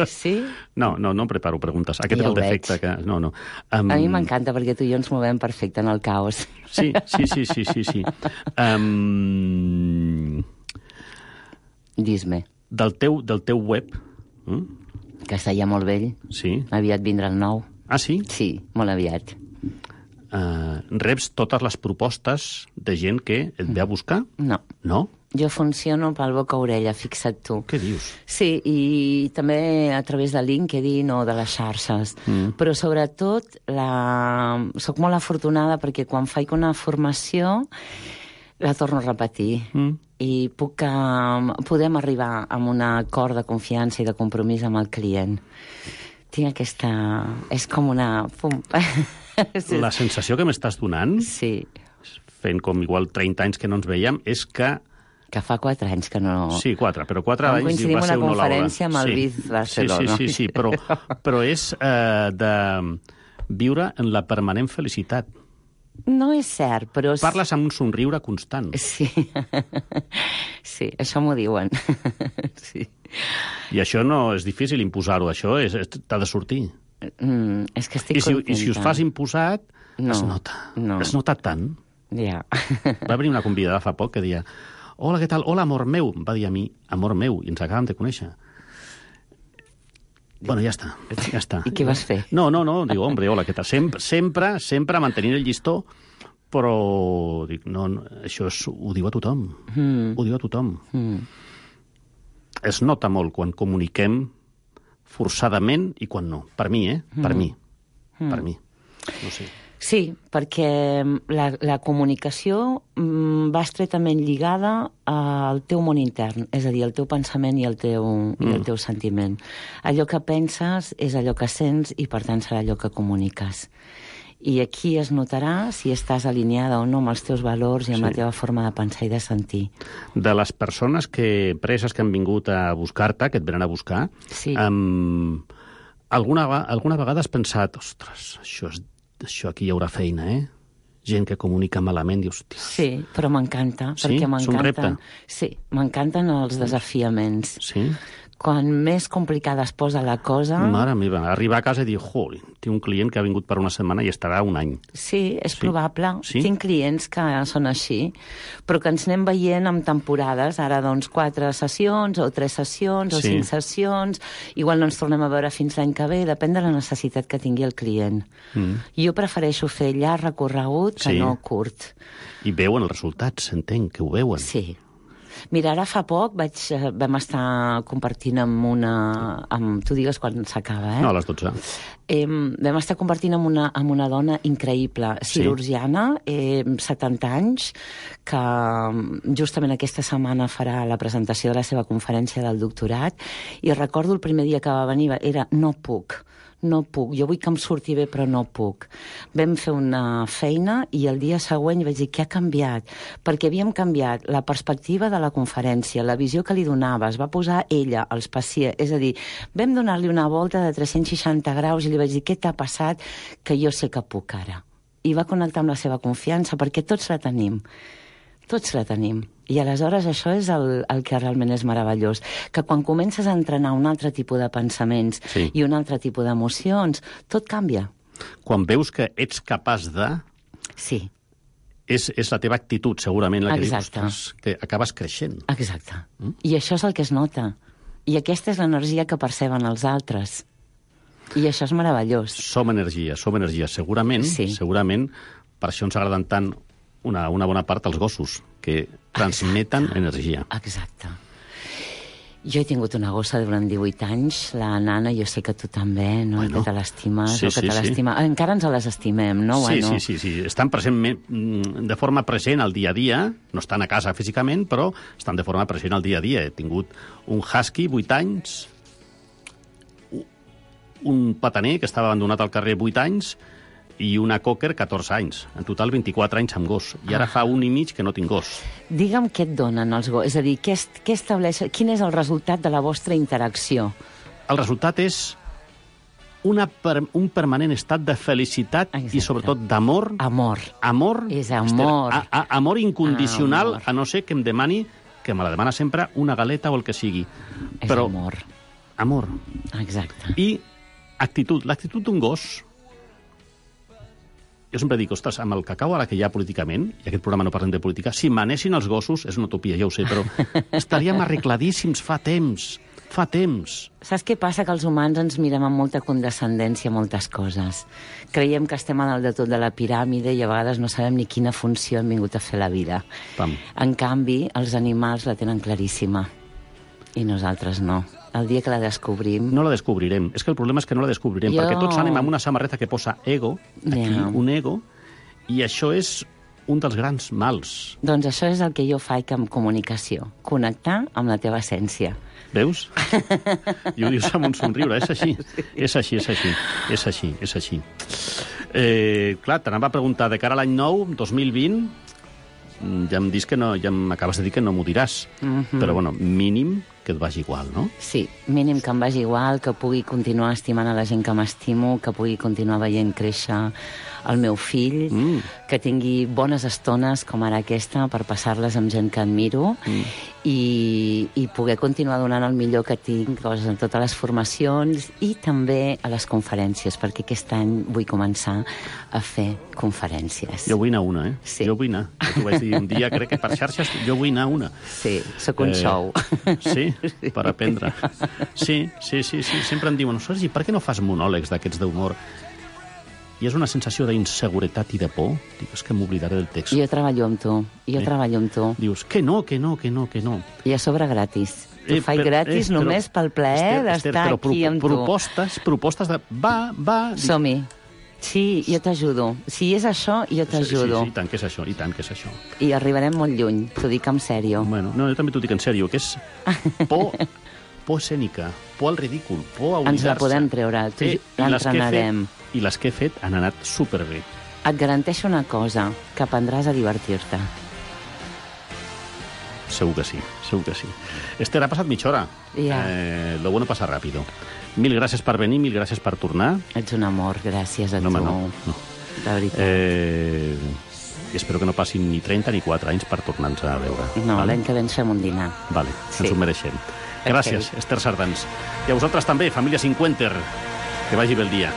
Sí? No, no, no preparo preguntes. Aquest ja és el defecte. Que... No, no. Um... A mi m'encanta, perquè tu i jo ens movem perfecte en el caos. Sí, sí, sí, sí, sí. sí. Um... Dis-me. Del teu, del teu web... Mm? Que està ja molt vell. Sí. Aviat vindrà el nou. Ah, sí? Sí, molt aviat. Uh, reps totes les propostes de gent que et ve a buscar? No. No? Jo funciono pel boca-orella, fixa't tu. Què dius? Sí, i també a través de LinkedIn o de les xarxes. Mm. Però sobretot la... soc molt afortunada perquè quan faig una formació la torno a repetir. Mm. I puc, um, podem arribar a un acord de confiança i de compromís amb el client. Tinc aquesta... És com una... Pum. La sensació que m'estàs donant, sí. fent com igual trenta anys que no ens veiem, és que... Que fa quatre anys que no... Sí, quatre, però quatre anys va ser una una conferència amb el sí. Biz Barcelona. Sí, sí, sí, sí, però, però és eh, de viure en la permanent felicitat. No és cert, però... Parles amb un somriure constant. Sí, sí, això m'ho diuen. Sí. I això no és difícil imposar-ho, això és, t'ha de sortir. Mm, és que estic I si, contenta. I si us fas imposat, no, es nota. No. Es nota tant. Ja. Va venir una convidada fa poc que deia hola, què tal? Hola, amor meu. Em va dir a mi, amor meu, i ens acabem de conèixer. Bueno, ja està, ja està. I què vas fer? No, no, no, diu, hombre, hola, què tal? Sempre, sempre, sempre mantenint el llistó, però dic, no, no això és, ho diu a tothom, mm. ho diu a tothom. Mm. Es nota molt quan comuniquem forçadament i quan no. Per mi, eh? Per mm. mi. Mm. Per mi. No sé. Sí, perquè la, la comunicació mm, va estretament lligada al teu món intern, és a dir, el teu pensament i el teu, mm. i el teu sentiment. Allò que penses és allò que sents i, per tant, serà allò que comuniques. I aquí es notarà si estàs alineada o no amb els teus valors i amb sí. la teva forma de pensar i de sentir. De les persones que, preses que han vingut a buscar-te, que et venen a buscar, sí. um, alguna, alguna vegada has pensat, ostres, això és això aquí hi haurà feina, eh? Gent que comunica malament, dius... Tia. Sí, però m'encanta. Sí? És un repte? Sí, m'encanten els desafiaments. Sí? Quan més complicada es posa la cosa... Mare meva, arribar a casa i dir, joli, tinc un client que ha vingut per una setmana i estarà un any. Sí, és sí. probable. Sí? Tinc clients que són així, però que ens anem veient en temporades, ara doncs quatre sessions, o tres sessions, sí. o cinc sessions, igual no ens tornem a veure fins l'any que ve, depèn de la necessitat que tingui el client. Mm. Jo prefereixo fer llarg recorregut que sí. no curt. I veuen els resultats, entenc, que ho veuen. Sí. Mira, ara fa poc vaig, vam estar compartint amb una... Amb, tu digues quan s'acaba, eh? No, a les dotze. Eh, vam estar compartint amb una, amb una dona increïble, cirurgiana, sí. eh, setanta anys, que justament aquesta setmana farà la presentació de la seva conferència del doctorat, i recordo el primer dia que va venir, era no puc. No puc, jo vull que em surti bé, però no puc. Vam fer una feina i el dia següent vaig dir, què ha canviat? Perquè havíem canviat la perspectiva de la conferència, la visió que li donava, es va posar ella, els pacients, és a dir, vam donar-li una volta de tres-cents seixanta graus i li vaig dir, què t'ha passat? Que jo sé que puc ara. I va connectar amb la seva confiança, perquè tots la tenim. Tots la tenim. I aleshores això és el, el que realment és meravellós, que quan comences a entrenar un altre tipus de pensaments sí. i un altre tipus d'emocions, tot canvia. Quan veus que ets capaç de... Sí. És, és la teva actitud, segurament, la que Exacte. dius, que acabes creixent. Exacte. Mm? I això és el que es nota. I aquesta és l'energia que perceben els altres. I això és meravellós. Som energia, som energia. Segurament, sí. segurament, per això ens agraden tant una, una bona part els gossos, que transmeten Exacte. energia. Exacte. Jo he tingut una gossa durant divuit anys, la Nana, jo sé que tu també, no? Bueno, que te l'estimes, sí, o que sí, te l'estima... sí. Encara ens les estimem, no? Sí, bueno. sí, sí, sí. Estan present, de forma present al dia a dia, no estan a casa físicament, però estan de forma present al dia a dia. He tingut un husky, vuit anys, un pataner que estava abandonat al carrer vuit anys, i una cocker, catorze anys. En total, vint-i-quatre anys amb gos. I ara ah. fa un i mig que no tinc gos. Digue'm què et donen els gossos. És a dir, què, què estableix, quin és el resultat de la vostra interacció? El resultat és una per, un permanent estat de felicitat Exacte. i, sobretot, d'amor. Amor. Amor. És amor. A, a, amor incondicional, amor. a no ser que em demani, que me la demana sempre, una galeta o el que sigui. És Però, amor. Amor. Exacte. I actitud. L'actitud d'un gos... Jo sempre dic, ostres, amb el cacau ara que hi ha políticament, i aquest programa no parlem de política, si manessin els gossos, és una utopia, ja ho sé, però estaríem arregladíssims fa temps, fa temps. Saps què passa? Que els humans ens mirem amb molta condescendència moltes coses. Creiem que estem a dalt de tot de la piràmide i a vegades no sabem ni quina funció hem vingut a fer a la vida. Pam. En canvi, els animals la tenen claríssima, i nosaltres no. El dia que la descobrim... No la descobrirem. És que el problema és que no la descobrirem, jo... perquè tots anem amb una samarreta que posa ego, aquí, yeah. un ego, i això és un dels grans mals. Doncs això és el que jo faig amb comunicació, connectar amb la teva essència. Veus? I ho dius amb un somriure, és així, és així, és així, és així, és així. Eh, clar, t'anava a preguntar, de cara a l'any nou, dos mil vint, ja em dius que no, ja m'acabes de dir que no m'ho diràs, mm-hmm. però bueno, mínim que et vagi igual, no? Sí, mínim que em vagi igual, que pugui continuar estimant a la gent que m'estimo, que pugui continuar veient créixer el meu fill, mm. que tingui bones estones com ara aquesta per passar-les amb gent que admiro mm. i, i poder continuar donant el millor que tinc doncs, en totes les formacions i també a les conferències, perquè aquest any vull començar a fer conferències. Jo vull anar a una, eh? Sí. Jo vull anar. Jo t'ho vaig dir un dia, crec que per xarxes, jo vull anar a una. Sí, sóc un eh, xou. Sí, per aprendre. Sí, sí, sí, sí. Sempre em diuen, i per què no fas monòlegs d'aquests d'humor? I és una sensació d'inseguretat i de por. Dic, és que m'oblidaré del text. Jo treballo amb tu, jo eh? treballo amb tu. Dius, que no, que no, que no, que no. I a sobre gratis. T'ho eh, faig gratis eh, però, només pel plaer d'estar aquí amb tu. Propostes, propostes de... Va, va... Som-hi. Sí, jo t'ajudo. Si és això, jo t'ajudo. Sí, sí, i tant que és això, i tant que és això. I arribarem molt lluny, t'ho dic en sèrio. Bueno, no, jo també t'ho dic en sèrio, que és por, por escènica, por al ridícul, por a oblidar-se. Ens la podem treure, eh, l'entrenarem. I les que he fet han anat superbé. Et garanteixo una cosa, que aprendràs a divertir-te. Segur que sí, segur que sí. Esther, ha passat mitja hora. Ja. Eh, lo bueno pasa rápido. Mil gràcies per venir, mil gràcies per tornar. Ets un amor, gràcies a no, tu. No, no, de veritat. Eh, I espero que no passin ni trenta ni quatre anys per tornar-nos a veure. No, vale? l'any que ve ens fem un dinar. Vale, sí. Ens ho mereixem. Gràcies, okay. Esther Sardans. I a vosaltres també, família Cinquenter. Que vagi bé el dia.